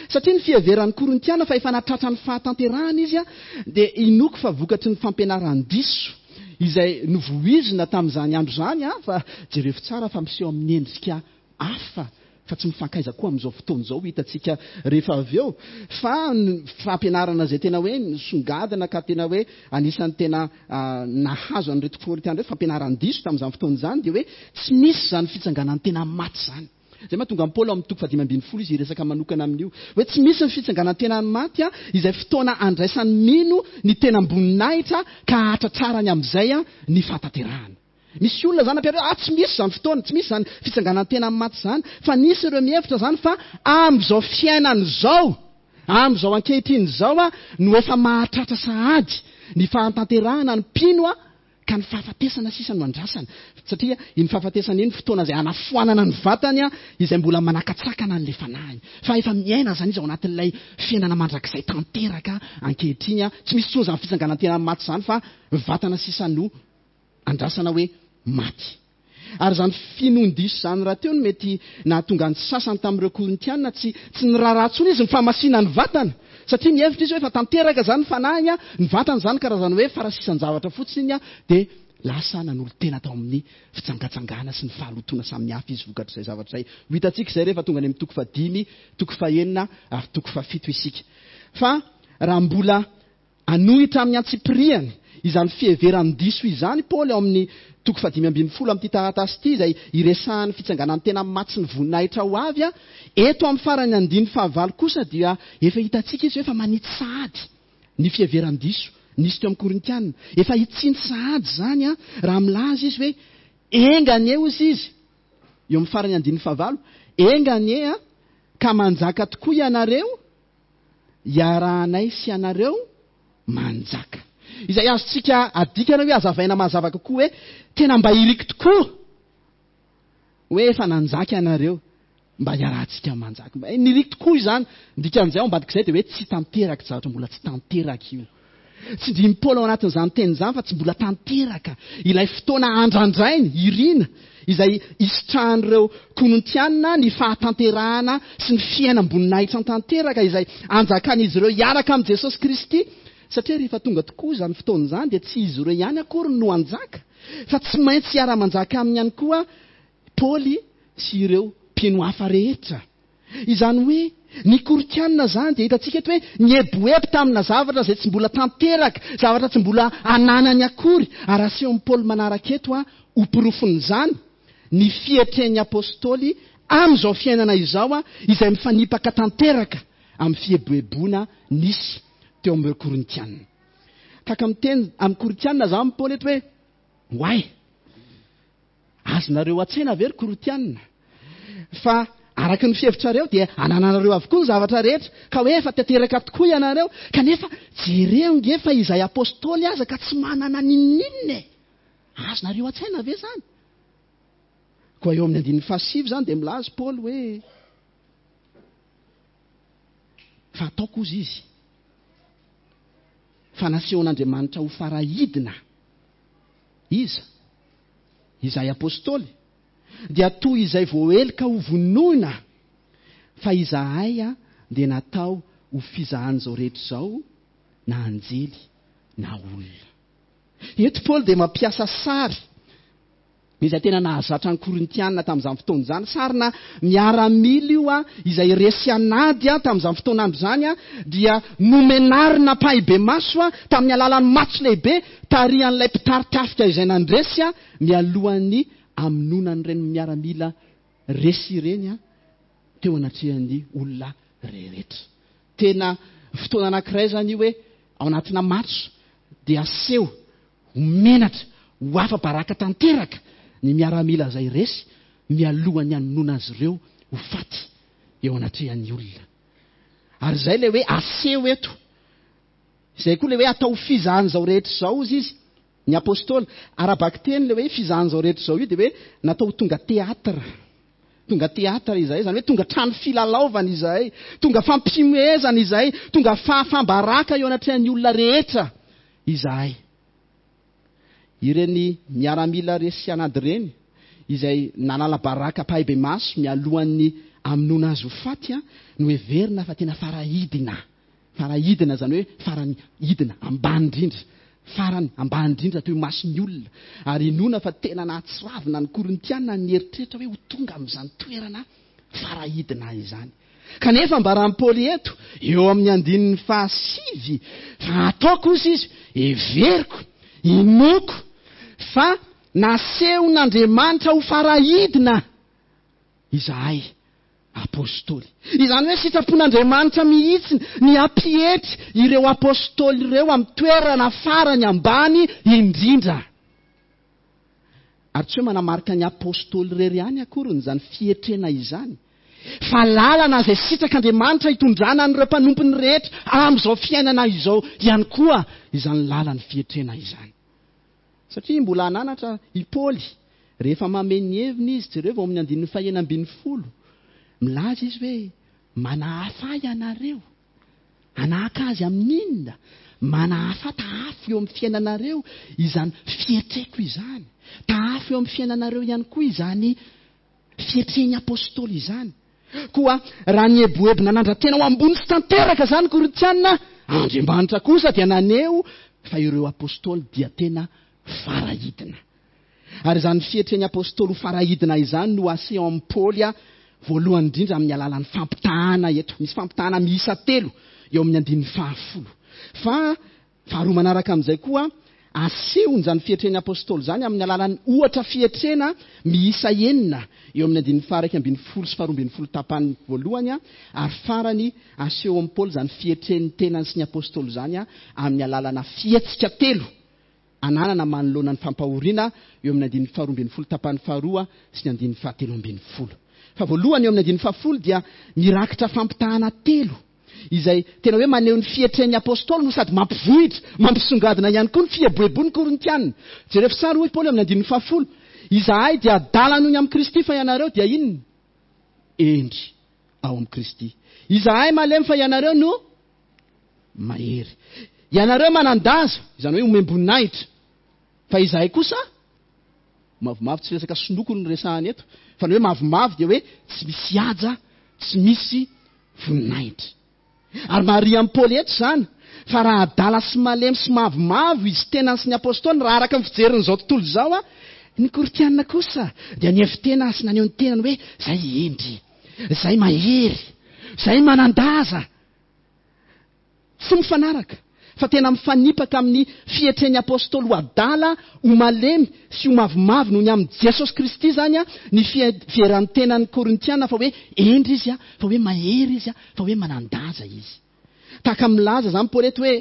Satria ny fiheveran'ny Korintiana fa efa nahatratra ny fahatanterahana izy dia inoako fa vokatry ny fampianaran-diso izay novoizina tamin'izany andro izany fa jereo tsara fa miseho amin'ny endrika hafa fa tsy mifankaiza koa amin'izao fotoana izao hitantsika rehefa avy eo fa ny fampianarana izay tena hoe nisongadina ka tena hoe anisan'ny tena nahazo an'ireto Korintiana ireto fampianaran-diso tamin'izany fotoana izany dia hoe tsy misy izany fitsanganan-tena maty izany. Izay mahatonga an'i Paoly ao amin'ny toko faha-15 izy hiresaka manokana amin'io. Hoe tsy misy ny fitsanganan-tenan'ny maty, izay fotoana andraisan'ny mino ny tenam-boninahitra ka hahatratrarany amin'izay ny fahatanterahana. Misy olona izany nampianatra hoe, ah, tsy misy izany fotoana, tsy misy izany fitsanganan-tenan'ny maty izany. Fa nisy ireo mihevitra izany fa amin'izao fiainana izao, amin'izao ankehitriny izao no efa mahatratra sahady ny fahatanterahana ny mpino Ka ny fahafatesana sisa no andrasana, satria iny fahafatesana iny fotoana izay hanafoanana ny vatany izay mbola manakatsakana an'ilay fanahiny. Fa efa miaina izany izy ao anatin'ilay fiainana mandrakizay tanteraka ankehitriny. Tsy misy intsony izany fitsanganan-tenan'ny maty izany fa vatana sisa no andrasana hoe maty. Ary izany finoan-diso izany rahateo no mety nahatonga ny sasany tamin'ireo Korintiana tsy tsy niraharaha intsony izy ny fahamasinan'ny vatana, satria mihevitra izy hoe efa tanteraka izany ny fanahiny, ny vatana izany karazana hoe farasisan-javatra fotsiny, dia lasa nanolo-tena tao amin'ny fijangajangana sy ny fahalotoana samihafa izy vokatr'izay zavatra izay. Ho hitantsika izay rehefa tonga any amin'ny toko fahadimy, toko fahenina ary toko fahafito isika. Fa raha mbola Hanohitra amin'ny antsipiriany izany fiheveran-diso izany Paoly ao amin'ny toko faha-15 amin'ity taratasy ity, izay iresahany fitsanganan-tena amin'ny maty sy ny voninahitra ho avy. Eto amin'ny faran'ny andininy fahavalo kosa dia efa hitantsika izy hoe efa manitsy sahady ny fiheveran-diso nisy teo amin'ny Korintiana. Efa hitsiny sahady izany raha milaza izy hoe, Enga anie, hozy izy, eo amin'ny faran'ny andininy fahavalo, enga anie ka manjaka tokoa ianareo, iarahanay sy ianareo manjaka. Izay azontsika adikana hoe hazavaina mazava kokoa hoe tena mba iriko tokoa hoe efa nanjaka ianareo, mba iarahantsika manjaka. Mba niriko tokoa izany. Ny dikan'izay ao ambadik'izay dia hoe tsy tanteraka, zavatra mbola tsy tanteraka io. Tsindrian'i Paoly ao anatin'izany teny izany fa tsy mbola tanteraka ilay fotoana andrandrainy, irina, izay hisitrahan'ireo Korintiana ny fahatanterahana sy ny fiainam-boninahitra tanteraka izay anjakan'izy ireo hiaraka amin'i Jesosy Kristy. Satria rehefa tonga tokoa izany fotoana izany dia tsy izy ireo ihany akory no hanjaka fa tsy maintsy hiara-manjaka aminy ihany koa Paoly sy ireo mpino hafa rehetra. Izany hoe, ny Korintiana izany dia hitantsika eto hoe nieboebo tamina zavatra izay tsy mbola tanteraka, zavatra tsy mbola ananany akory, ary asehon'i Paoly manaraka eto ho porofon'izany ny fietren'ny Apostoly amin'izao fiainana izao izay mifanipaka tanteraka amin'ny fieboeboana nisy teo amin'ireo Korintiana. Tahaka miteny amin'ny Korintiana izany Paoly eto hoe, Oay! Azonareo an-tsaina ve ry Korintiana fa araka ny fihevitrareo dia anananareo avokoa ny zavatra rehetra, ka hoe efa tanteraka tokoa ianareo, kanefa jereo nge fa izay apostoly aza ka tsy manana n'inon'inona e! Azonareo an-tsaina ve izany? Koa eo amin'ny andininy fahasivy izany dia milaza Paoly hoe, Fa ataoko hozy izy, fa nasehon'Andriamanitra ho farahidina Iza? Izahay Apostoly dia toy izay voaheloka ho vonoina, fa izahay dia natao ho fizahan'izao rehetra izao, na anjely na olona. Eto Paoly dia mampiasa sary izay tena nahazatra ny Korintiana tamin'izany fotoana izany. Sarina miaramila io izay resy an'ady tamin'izany fotoan'andro izany dia nomenarina ampahibemaso tamin'ny alalan'ny matso lehibe tarihan'ilay mpitari-tafika izay nandresy mialohan'ny hamonoana an'ireny miaramila resy ireny teo anatrehan'ny olona rehetra. Tena fotoana anankiray izany io hoe ao anatina matso dia aseho Ho menatra, ho afa-baraka tanteraka ny miaramila izay resy mialohan'ny hamonoana azy ireo ho faty eo anatrehan'ny olona. Ary izay ilay hoe aseho eto. Izay koa ilay hoe atao ho fizahan'izao rehetra izao, hozy izy, ny apostoly. Ara-bakiteny ilay hoe fizahan'izao rehetra izao io dia hoe natao ho tonga théâtre. Tonga théâtre izahay, izany hoe tonga trano filalaovana izahay, tonga fampihomehezana izahay, tonga fahafam-baraka eo anatrehan'ny olona rehetra. Izahay. Ireny miaramila resy an'ady ireny, izay nanala baraka ampahibemaso mialohan'ny hamonoana azy ho faty no heverina fa tena farahidina. Farahidina izany hoe farany hidina, ambany indrindra. Farany ambany indrindra teo imason'ny olona. Ary inoana fa tena nahatsiravina ny Korintiana ny nieritreritra hoe ho tonga amin'izany toerana farahidina izany. Kanefa ambaran'i Paoly eto, eo amin'ny andininy fahasivy, fa ataoko, hozy izy, heveriko, inoako, fa nasehon'Andriamanitra ho farahidina izahay Apostoly. Izany hoe sitrapon'Andriamanitra mihitsy ny hampietry ireo Apostoly ireo amin'ny toerana farany ambany indrindra. Ary tsy hoe manamarika ny Apostoly irery ihany akory izany fietrena izany, fa lalana izay sitrak'Andriamanitra hitondrana an'ireo mpanompony rehetra amin'izao fiainana izao ihany koa izany lalan'ny fietrena izany. Satria mbola hananatra i Paoly rehefa mamehy ny heviny izy, jereo vao amin'ny andininy fahenina ambinifolo, milaza izy hoe, Manahafa ahy ianareo. Hanahaka azy amin'inona? Manahafa tahafo eo amin'ny fiainanareo izany fietreko izany. Tahafo eo amin'ny fiainanareo ihany koa izany fietren'ny apostoly izany. Koa raha nieboebo nanandra-tena ho ambony sy tanteraka izany Korintiana, Andriamanitra kosa dia naneho fa ireo apostoly dia tena farahidina. Ary izany fietren'ny apostoly ho farahidina izany no aseho amin'i Paoly voalohany indrindra amin'ny alalan'ny fampitahana eto. Misy fampitahana miisa telo eo amin'ny andininy fahafolo. Fa faharoa manaraka amin'izay koa, asehony izany fietren'ny apostoly izany amin'ny alalan'ny ohatra fietrena miisa enina eo amin'ny andininy faha-iraika ambinifolo sy faharoa ambinifolo tapany voalohany, ary farany aseho amin'i Paoly izany fietren'ny tenany sy ny apostoly izany amin'ny alalana fihetsika telo ananana manoloana ny fampahoriana eo amin'ny andininy faharoa ambinifolo tapany faharoa sy ny andininy fahatelo ambinifolo. Fa voalohany eo amin'ny andininy fahafolo dia mirakitra fampitahana telo izay tena hoe maneho ny fietren'ny apostoly no sady mampivohitra, mampisongadina ihany koa ny fieboeboan'ny Korintiana. Jereo sary hoy Paoly amin'ny andininy fahafolo, Izahay dia adala noho ny amin'i Kristy fa ianareo dia inona? Hendry ao amin'i Kristy. Izahay malemy fa ianareo no mahery. Ianareo manan-daza, izany hoe omem-boninahitra, fa izahay kosa mavomavo. Tsy resaka sinoko no resahana eto, fa ny hoe mavomavo dia hoe tsy misy haja, tsy misy voninahitra. Ary marihan'i Paoly eto izany, fa raha adala sy malemy sy mavomavo izy tenany sy ny apôstôliny, raha araka ny fijerin'izao tontolo izao, ny Korintiana kosa dia nihevi-tena sy naneho ny tenany hoe izay hendry, izay mahery, izay manan-daza. Tsy mifanaraka, fa tena mifanipaka amin'ny fietren'ny Apostoly ho adala, ho malemy sy ho mavomavo noho ny amin'i Jesosy Kristy izany ny fiheveran-tenan'ny Korintiana fa hoe hendry izy, fa hoe mahery izy, fa hoe manan-daza izy. Tahaka ny milaza izany Paoly eto hoe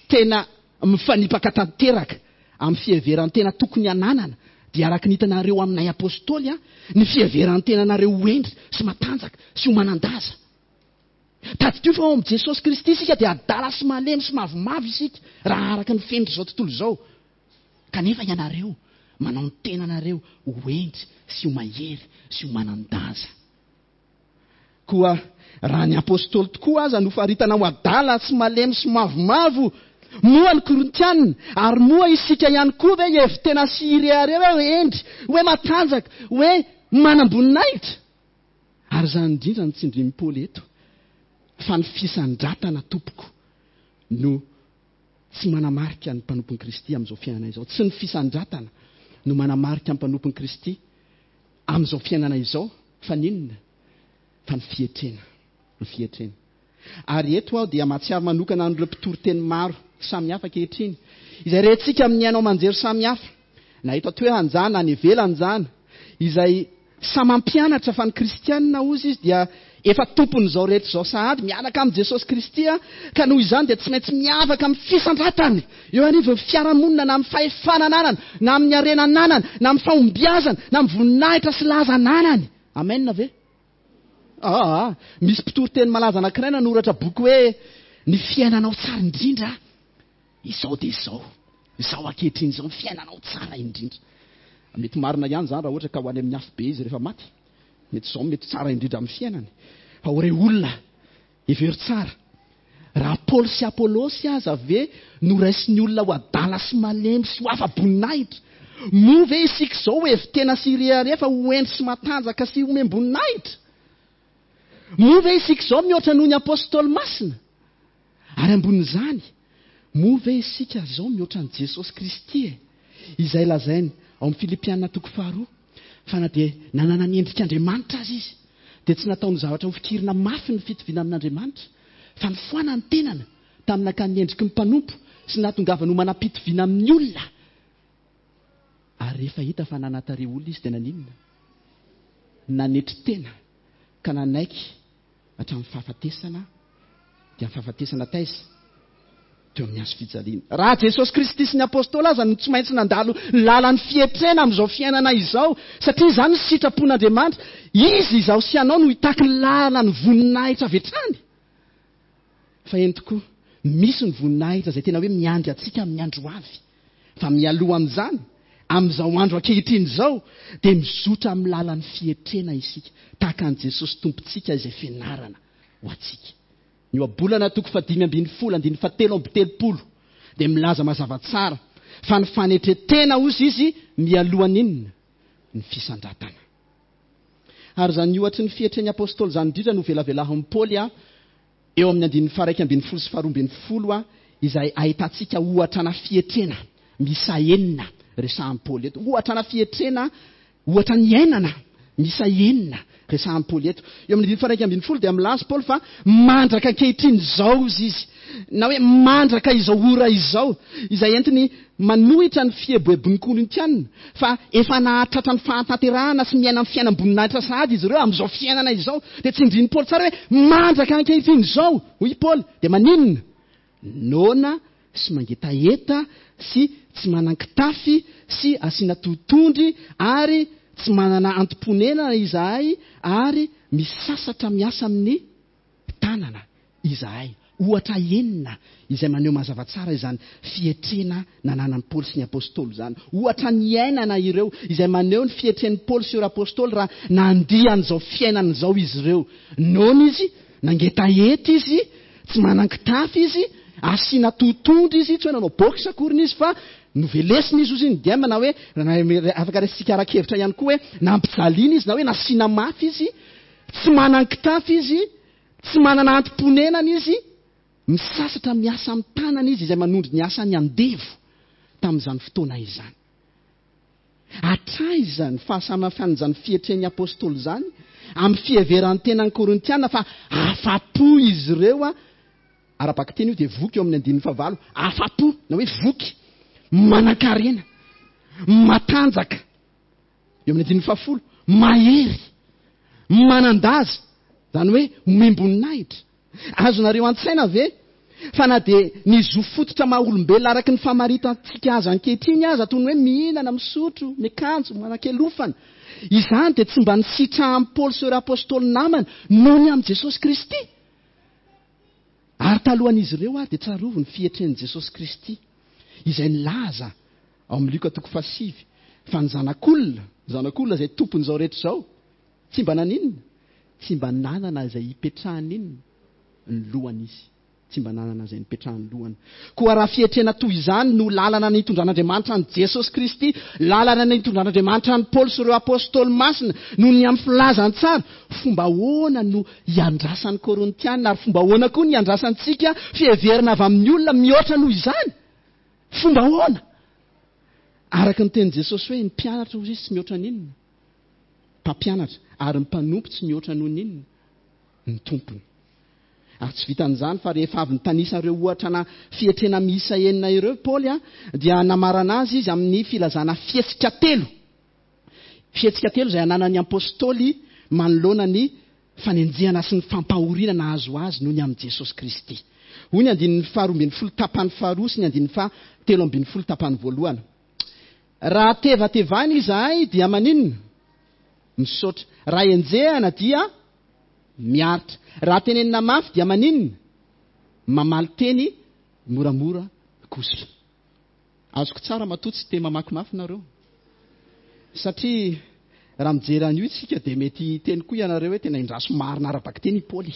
tena mifanipaka tanteraka amin'ny fiheveran-tena tokony hananana, dia araka ny hitanareo aminay Apostoly, ny fiheveran-tenanareo ho hendry sy matanjaka sy ho manan-daza. Tadidio fa ao amin'i Jesosy Kristy isika dia adala sy malemy sy mavomavo isika raha araka ny fenitr'izao tontolo izao. Kanefa ianareo manao ny tenanareo ho hendry sy ho mahery sy ho manan-daza. Koa raha ny apostoly tokoa aza no faritana ho adala sy malemy sy mavomavo, moa ny Korintiana ary moa isika ihany koa ve hihevi-tena sy hirehareha hoe hendry, hoe matanjaka, hoe manam-boninahitra? Ary izany indrindra no tsindrin'i Paoly eto, fa ny fisandratana, tompoko, no tsy manamarika ny mpanompon'i Kristy amin'izao fiainana izao. Tsy ny fisandratana no manamarika ny mpanompon'i Kristy amin'izao fiainana izao, fa ny inona? Fa ny fietrena. Ny fietrena. Ary eto aho dia mahatsiaro manokana an'ireo mpitory teny maro samihafa ankehitriny, izay rentsika amin'ny haino aman-jery samihafa, na eto an-toerana izany na any ivelany izany, izay samy mampianatra fa ny kristiana, hozy izy, dia efa tompon'izao rehetra izao sahady, miaraka amin'i Jesosy Kristy, ka noho izany dia tsy maintsy miavaka amin'ny fisandratany eo anivon'ny fiarahamonina na amin'ny fahefana ananany, na amin'ny harena ananany, na amin'ny fahombiazana, na amin'ny voninahitra sy laza ananany. Amen ve? Aa! Misy mpitory teny malaza anankiray nanoratra boky hoe Ny fiainanao tsara indrindra izao dia izao. Izao ankehitriny izao ny fiainanao tsara indrindra. Mety marina ihany izany raha ohatra ka ho any amin'ny afobe izy rehefa maty. Mety izao mety tsara indrindra amin'ny fiainany. Fa ho re olona, hevero tsara. Raha Paoly sy Apolosy aza ve noraisin'ny olona ho adala sy malemy sy ho afa-boninahitra, moa ve isika izao ho hevi-tena sy hirehareha fa ho hendry sy matanjaka sy homem-boninahitra? Moa ve isika izao mihoatra noho ny apostoly masina? Ary ambonin'izany, moa ve isika izao mihoatra an'i Jesosy Kristy e? Izay lazainy ao amin'ny Filipiana toko faharoa, fa na dia nanana ny endrik'Andriamanitra aza izy, dia tsy nataony zavatra hofikirina mafy ny fitoviana amin'Andriamanitra, fa nifoana ny tenany tamin'ny nakany ny endriky ny mpanompo sy nahatongavany ho manam-pitoviana amin'ny olona. Ary rehefa hita fa nanatarehy olona izy dia naninona? Nanetry tena ka nanaiky hatramin'ny fahafatesana, dia ny fahafatesana taiza? Teo amin'ny hazo fijaliana. Raha Jesosy Kristy sy ny Apostoly aza no tsy maintsy nandalo lalan'ny fietrena amin'izao fiainana izao, satria izany no sitrapon'Andriamanitra, Izy, izaho sy ianao no hitaky ny lalan'ny voninahitra avy hatrany. Fa eny tokoa, misy ny voninahitra izay tena hoe miandry antsika amin'ny andro ho avy. Fa mialoha an'izany, amin'izao andro ankehitriny izao, dia mizotra amin'ny lalan'ny fietrena isika, tahaka an'i Jesosy Tompontsika izay fianarana ho antsika. Ny Ohabolana toko fahadimy ambin'ny folo andininy fahatelo amby telopolo dia milaza mazava tsara fa ny fanetren-tena hozy izy mialoha an'inona? Ny fisandratana. Ary izany ohatry ny fietren'ny Apostoly izany indrindra no velavelahin'i Paoly eo amin'ny andininy faha-11 sy faha-12 izay ahitantsika ohatra ana fietrena miisa enina resahin'i Paoly eto. Ohatra ana fietrena, ohatra niainana miisa enina resahin'i Paoly eto. Eo amin'ny andininy faha-11 dia milaza Paoly fa mandraka ankehitriny izao izy, na hoe mandraka izao ora izao, izay entiny manohitra ny fieboebon'ny Korintiana fa efa nahatratra ny fahatanterahana sy miaina ny fiainam-boninahitra sahady izy ireo amin'izao fiainana izao. Dia tsindrin'i Paoly tsara hoe mandraka ankehitriny izao, hoy i Paoly, dia maninona? Noana sy mangetaheta sy tsy manan-kitafy sy asiana totohondry ary tsy manana antom-ponenana izahay ary misasatra miasa amin'ny tanana izahay. Ohatra enina izay maneho mazava tsara izany fietrena nananan'i Paoly sy ny Apostoly izany. Ohatra niainana ireo izay maneho ny fietren'i Paoly sy ireo Apostoly raha nandia an'izao fiainana izao izy ireo. Noana izy, nangetaheta izy, tsy manan-kitafy izy, asiana totohondry izy, tsy hoe nanao boxe akoriny izy fa novelesina izy hozy ny diem na hoe afaka raisintsika ara-kevitra ihany koa hoe nampijaliana izy na hoe nasiana mafy izy, tsy manan-kitafy izy, Tsy manana antom-ponenana izy, misasatra miasa amin'ny tanana izy izay manondro ny asan'ny andevo tamin'izany fotoana izany. Hatraiza ny fahasamihafan'izany fietren'ny apostoly izany amin'ny fiheveran-tenan'ny Korintiana fa afa-po izy ireo, ara-bakiteny io dia voky eo amin'ny andininy fahavalo, afa-po na hoe voky, manan-karena, matanjaka. Eo amin'ny andininy fahafolo, mahery, manan-daza, izany hoe omem-boninahitra. Azonareo an-tsaina ve fa na dia ny zo fototra maha olombelona araka ny famaritantsika azy ankehitriny aza, toy ny hoe mihinana, misotro, miakanjo, manan-kelofana, izany dia tsy mba nisitrahan'i Paoly sy ireo apostoly namany noho ny amin'i Jesosy Kristy? Ary talohan'izy ireo ary dia tsarovy ny fietren'i Jesosy Kristy, izay nilaza ao amin'ny Lioka toko fahasivy fa ny Zanak'olona, Zanak'olona izay tompon'izao rehetra izao, tsy mba naninona? Tsy mba nanana izay hipetrahany inona? Ny lohany izy. Tsy mba nanana izay nipetrahan'ny lohany. Koa raha fietrena toy izany no lalana nitondran'Andriamanitra an'i Jesosy Kristy, lalana nitondran'Andriamanitra an'i Paoly sy ireo Apostoly masina noho ny amin'ny filazantsara, fomba ahoana no hiandrasan'ny Korintiana ary fomba ahoana koa ny hiandrasantsika fiheverana avy amin'ny olona mihoatra noho izany? Fomba ahoana? Araka ny tenin'i Jesosy hoe ny mpianatra hozy izy tsy mihoatra ny inona? Mpampianatra. Ary ny mpanompo tsy mihoatra noho ny inona? Ny tompony. Ary tsy vitan'izany fa rehefa avy nitanisa ireo ohatra na fietrena miisa enina ireo Paoly dia namarana azy izy amin'ny filazana fihetsika telo. Fihetsika telo izay ananan'ny apostoly manoloana ny fanenjehana sy ny fampahoriana nahazo azy noho ny amin'i Jesosy Kristy. Hoy ny andininy faharoa ambin'ny folo tapany faharoa sy ny andininy fahatelo ambin'ny folo tapany voalohany. Raha tevatevaina izahay dia maninona? Misaotra. Raha enjehana dia miaritra. Raha tenenina mafy dia maninona? Mamaly teny moramora kosa. Azoko tsara matoa tsy te mamaky mafy nareo. Satria raha mijery an'io isika dia mety hiteny koa ianareo hoe tena indraso marina ara-bakiteny i Paoly.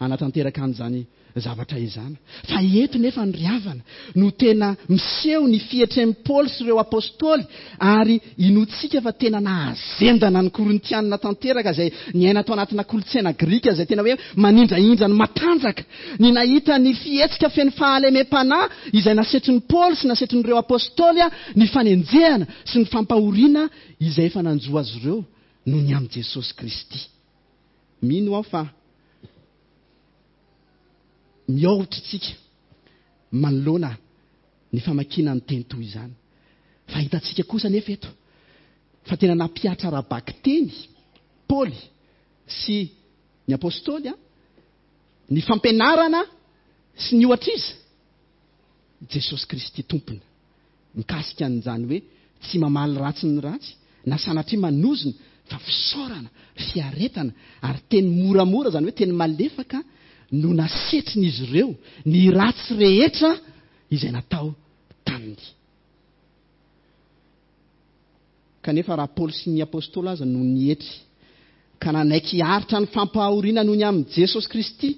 hanatanteraka an'izany zavatra izany. Fa eto nefa ny ry havana no tena miseho ny fietren'i Paoly sy ireo apostoly ary inoantsika fa tena nahazendana ny Korintianina tanteraka izay niaina tao anatina kolontsaina grika izay tena hoe manindrahindra ny matanjaka. Ny nahita ny fihetsika feno fahalemem-panahy izay nasetrin'i Paoly sy nasetrin'ireo apostoly ny fanenjehana sy ny fampahoriana izay efa nanjo azy ireo noho ny amin'i Jesosy Kristy. Mino aho fa miahotra isika manoloana ny famakiana ny teny toy izany. Fa hitantsika kosa anefa eto fa tena nampihatra ara-bakiteny Paoly sy ny apostoly ny fampianarana sy ny ohatr'iza? Jesosy Kristy Tompony. Mikasika an'izany hoe tsy mamaly ratsy ny ratsy na sanatria manozona fa fisaorana, fiaretana ary teny moramora, izany hoe teny malefaka no nasetrin'izy ireo ny ratsy rehetra izay natao taminy. Kanefa raha Paoly sy ny Apostoly aza no nietry ka nanaiky hiaritra ny fampahoriana noho ny amin'i Jesosy Kristy,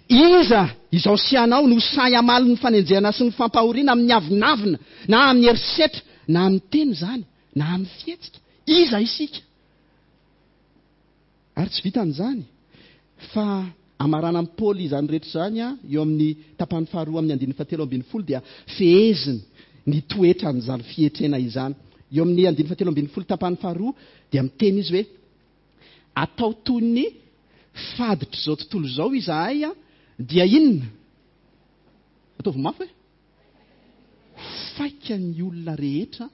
iza izao sy ianao no sahy hamaly ny fanenjehana sy ny fampahoriana amin'ny avonavona na amin'ny herisetra na amin'ny teny izany na amin'ny fihetsika? Iza isika? Ary tsy vitan'izany, fa amaranan'i Paoly izany rehetra izany eo amin'ny tapany faharoa amin'ny andininy fahatelo ambin'ny folo dia feheziny ny toetran'izany fietrena izany. Eo amin'ny andininy fahatelo ambin'ny folo tapany faharoa dia miteny izy hoe, Atao toy ny faditr'izao tontolo izao izahay dia inona? Ataovy mafy hoe, Faika ny olona rehetra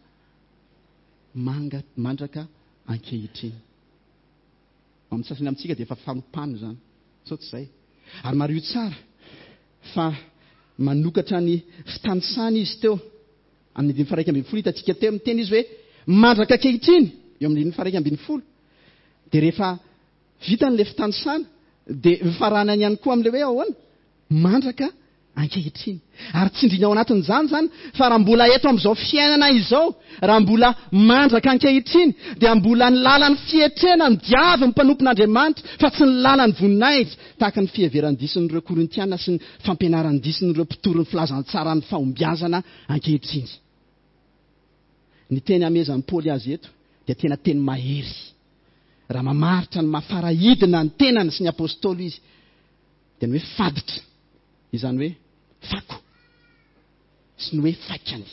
mandraka ankehitriny. Amin'ny sasany amintsika dia efa fanompana izany, sao tsy izay? Ary mariho tsara fa manokatra ny fitanisana izy teo amin'ny andininy faha 11 hitantsika teo, miteny izy hoe mandraka ankehitriny, eo amin'ny andininy faha 11. Dia rehefa vitany ilay fitanisana dia mifaranany ihany koa amin'ilay hoe ahoana? Mandraka ankehitriny. Ary tsindriana ao anatin'izany izany fa raha mbola eto amin'izao fiainana izao, raha mbola mandraka ankehitriny, dia mbola ny lalan'ny fietrena no diavin'ny mpanompon'Andriamanitra fa tsy ny lalan'ny voninahitra, tahaka ny fiheveran-dison'ireo Korintiana sy ny fampianaran-dison'ireo mpitory ny filazantsaran'ny fahombiazana ankehitriny. Ny teny amehezan'i Paoly azy eto dia tena teny mahery. Raha mamaritra ny maha farahidina ny tenany sy ny apostoly izy, dia ny hoe faditra, izany hoe fako, sy ny hoe faikany.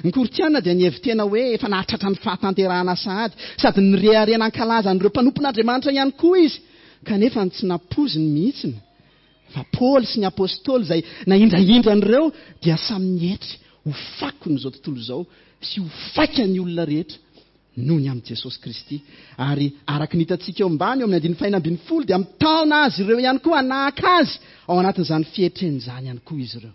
Ny Korintiana dia nihevi-tena hoe efa nahatratra ny fahatanterahana sahady, sady nirehareha nankalaza an'ireo mpanompon'Andriamanitra ihany koa izy, kanefa ny tsy nampoiziny mihitsy fa Paoly sy ny apostoly izay nahindrahindra an'ireo dia samy nietry ho fakon'izao tontolo izao sy ho faikan'ny olona rehetra noho ny amin'i Jesosy Kristy. Ary araka ny hitantsika eo ambany eo amin'ny andininy fahenina ambin'ny folo dia mitaona azy ireo ihany koa hanahaka azy ao anatin'izany fietrena izany ihany koa izy ireo.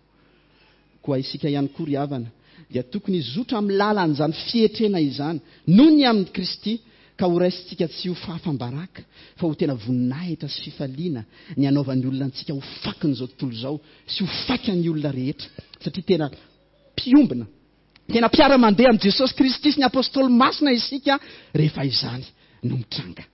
Koa isika ihany koa ry havana dia tokony hizotra amin'ny lalan'izany fietrena izany noho ny amin'i Kristy ka ho raisintsika tsy ho fahafam-baraka fa ho tena voninahitra sy fifaliana ny hanaovan'ny olona antsika ho fakin'izao tontolo izao sy ho faikan'ny olona rehetra satria tena mpiombona Tena mpiara-mandeha amin'i Jesosy Kristy sy ny Apostoly masina isika rehefa izany no mitranga.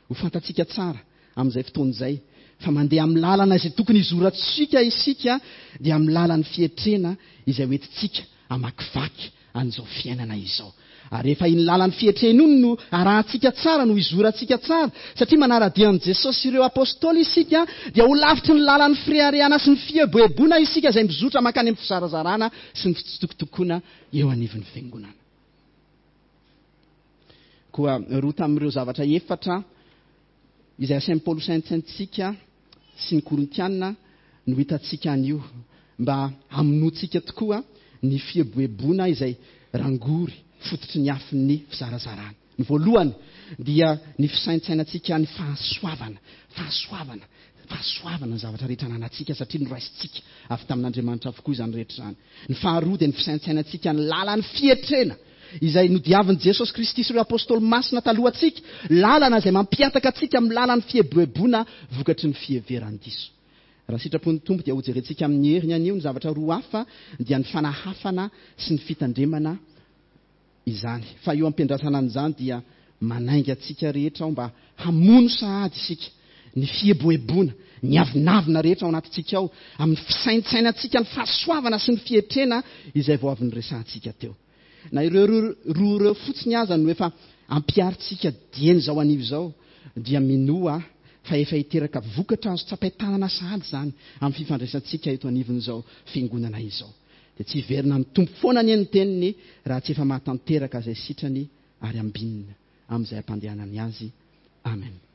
Ho fantatsika tsara amin'izay fotoana izay fa mandeha amin'ny lalana izay tokony hizorantsika isika dia amin'ny lalan'ny fietrena izay hoentintsika hamakivaky an'izao fiainana izao. Ary rehefa iny lalan'ny fietrena iny no arahantsika tsara, no izorantsika tsara, satria manara-dia an'i Jesosy sy ireo Apostoly isika, dia ho lavitry ny lalan'ny fireharehana sy ny fieboeboana isika izay mizotra mankany amin'ny fizarazarana sy ny fitsitokotokoana eo anivon'ny Fiangonana. Koa roa tamin'ireo zavatra efatra izay asain'i Paoly hosaintsaintsika sy ny Korintiana no hitantsika anio, mba hamonoantsika tokoa ny fieboeboana izay rangory fototry ny afon'ny fizarazarana. Ny voalohany dia ny fisaintsainantsika ny fahasoavana, fahasoavana, fahasoavana ny zavatra rehetra ananantsika satria noraisintsika avy tamin'Andriamanitra avokoa izany rehetra izany. Ny faharoa dia ny fisaintsainantsika ny lalan'ny fietrena izay nodiavin'i Jesosy Kristy sy ireo Apostoly masina talohantsika, lalana izay mampihataka antsika amin'ny lalan'ny fieboeboana vokatry ny fiheveran-diso. Raha sitrapon'ny Tompo dia hojerentsika amin'ny heriny anio ny zavatra roa hafa dia ny fanahafana sy ny fitandremana izany. Fa eo am-piandrasana an'izany dia manainga antsika rehetra aho mba hamono sahady isika. ny fieboeboana, ny avonavona rehetra ao anatintsika ao, amin'ny fisaintsainantsika ny fahasoavana sy ny fietrena izay vao avy niresahantsika teo. Na ireo roa ireo fotsiny aza no efa ampiharintsika dieny izao anio izao, dia minoa aho fa efa hiteraka vokatra azo tsapain-tanana sahady izany amin'ny fifandraisantsika eto anivon'izao Fiangonana izao. Dia tsy hiverina amin'ny Tompo foana anie ny Teniny raha tsy efa mahatanteraka izay sitrany ary ambinina amin'izay ampandehanany azy. Amen.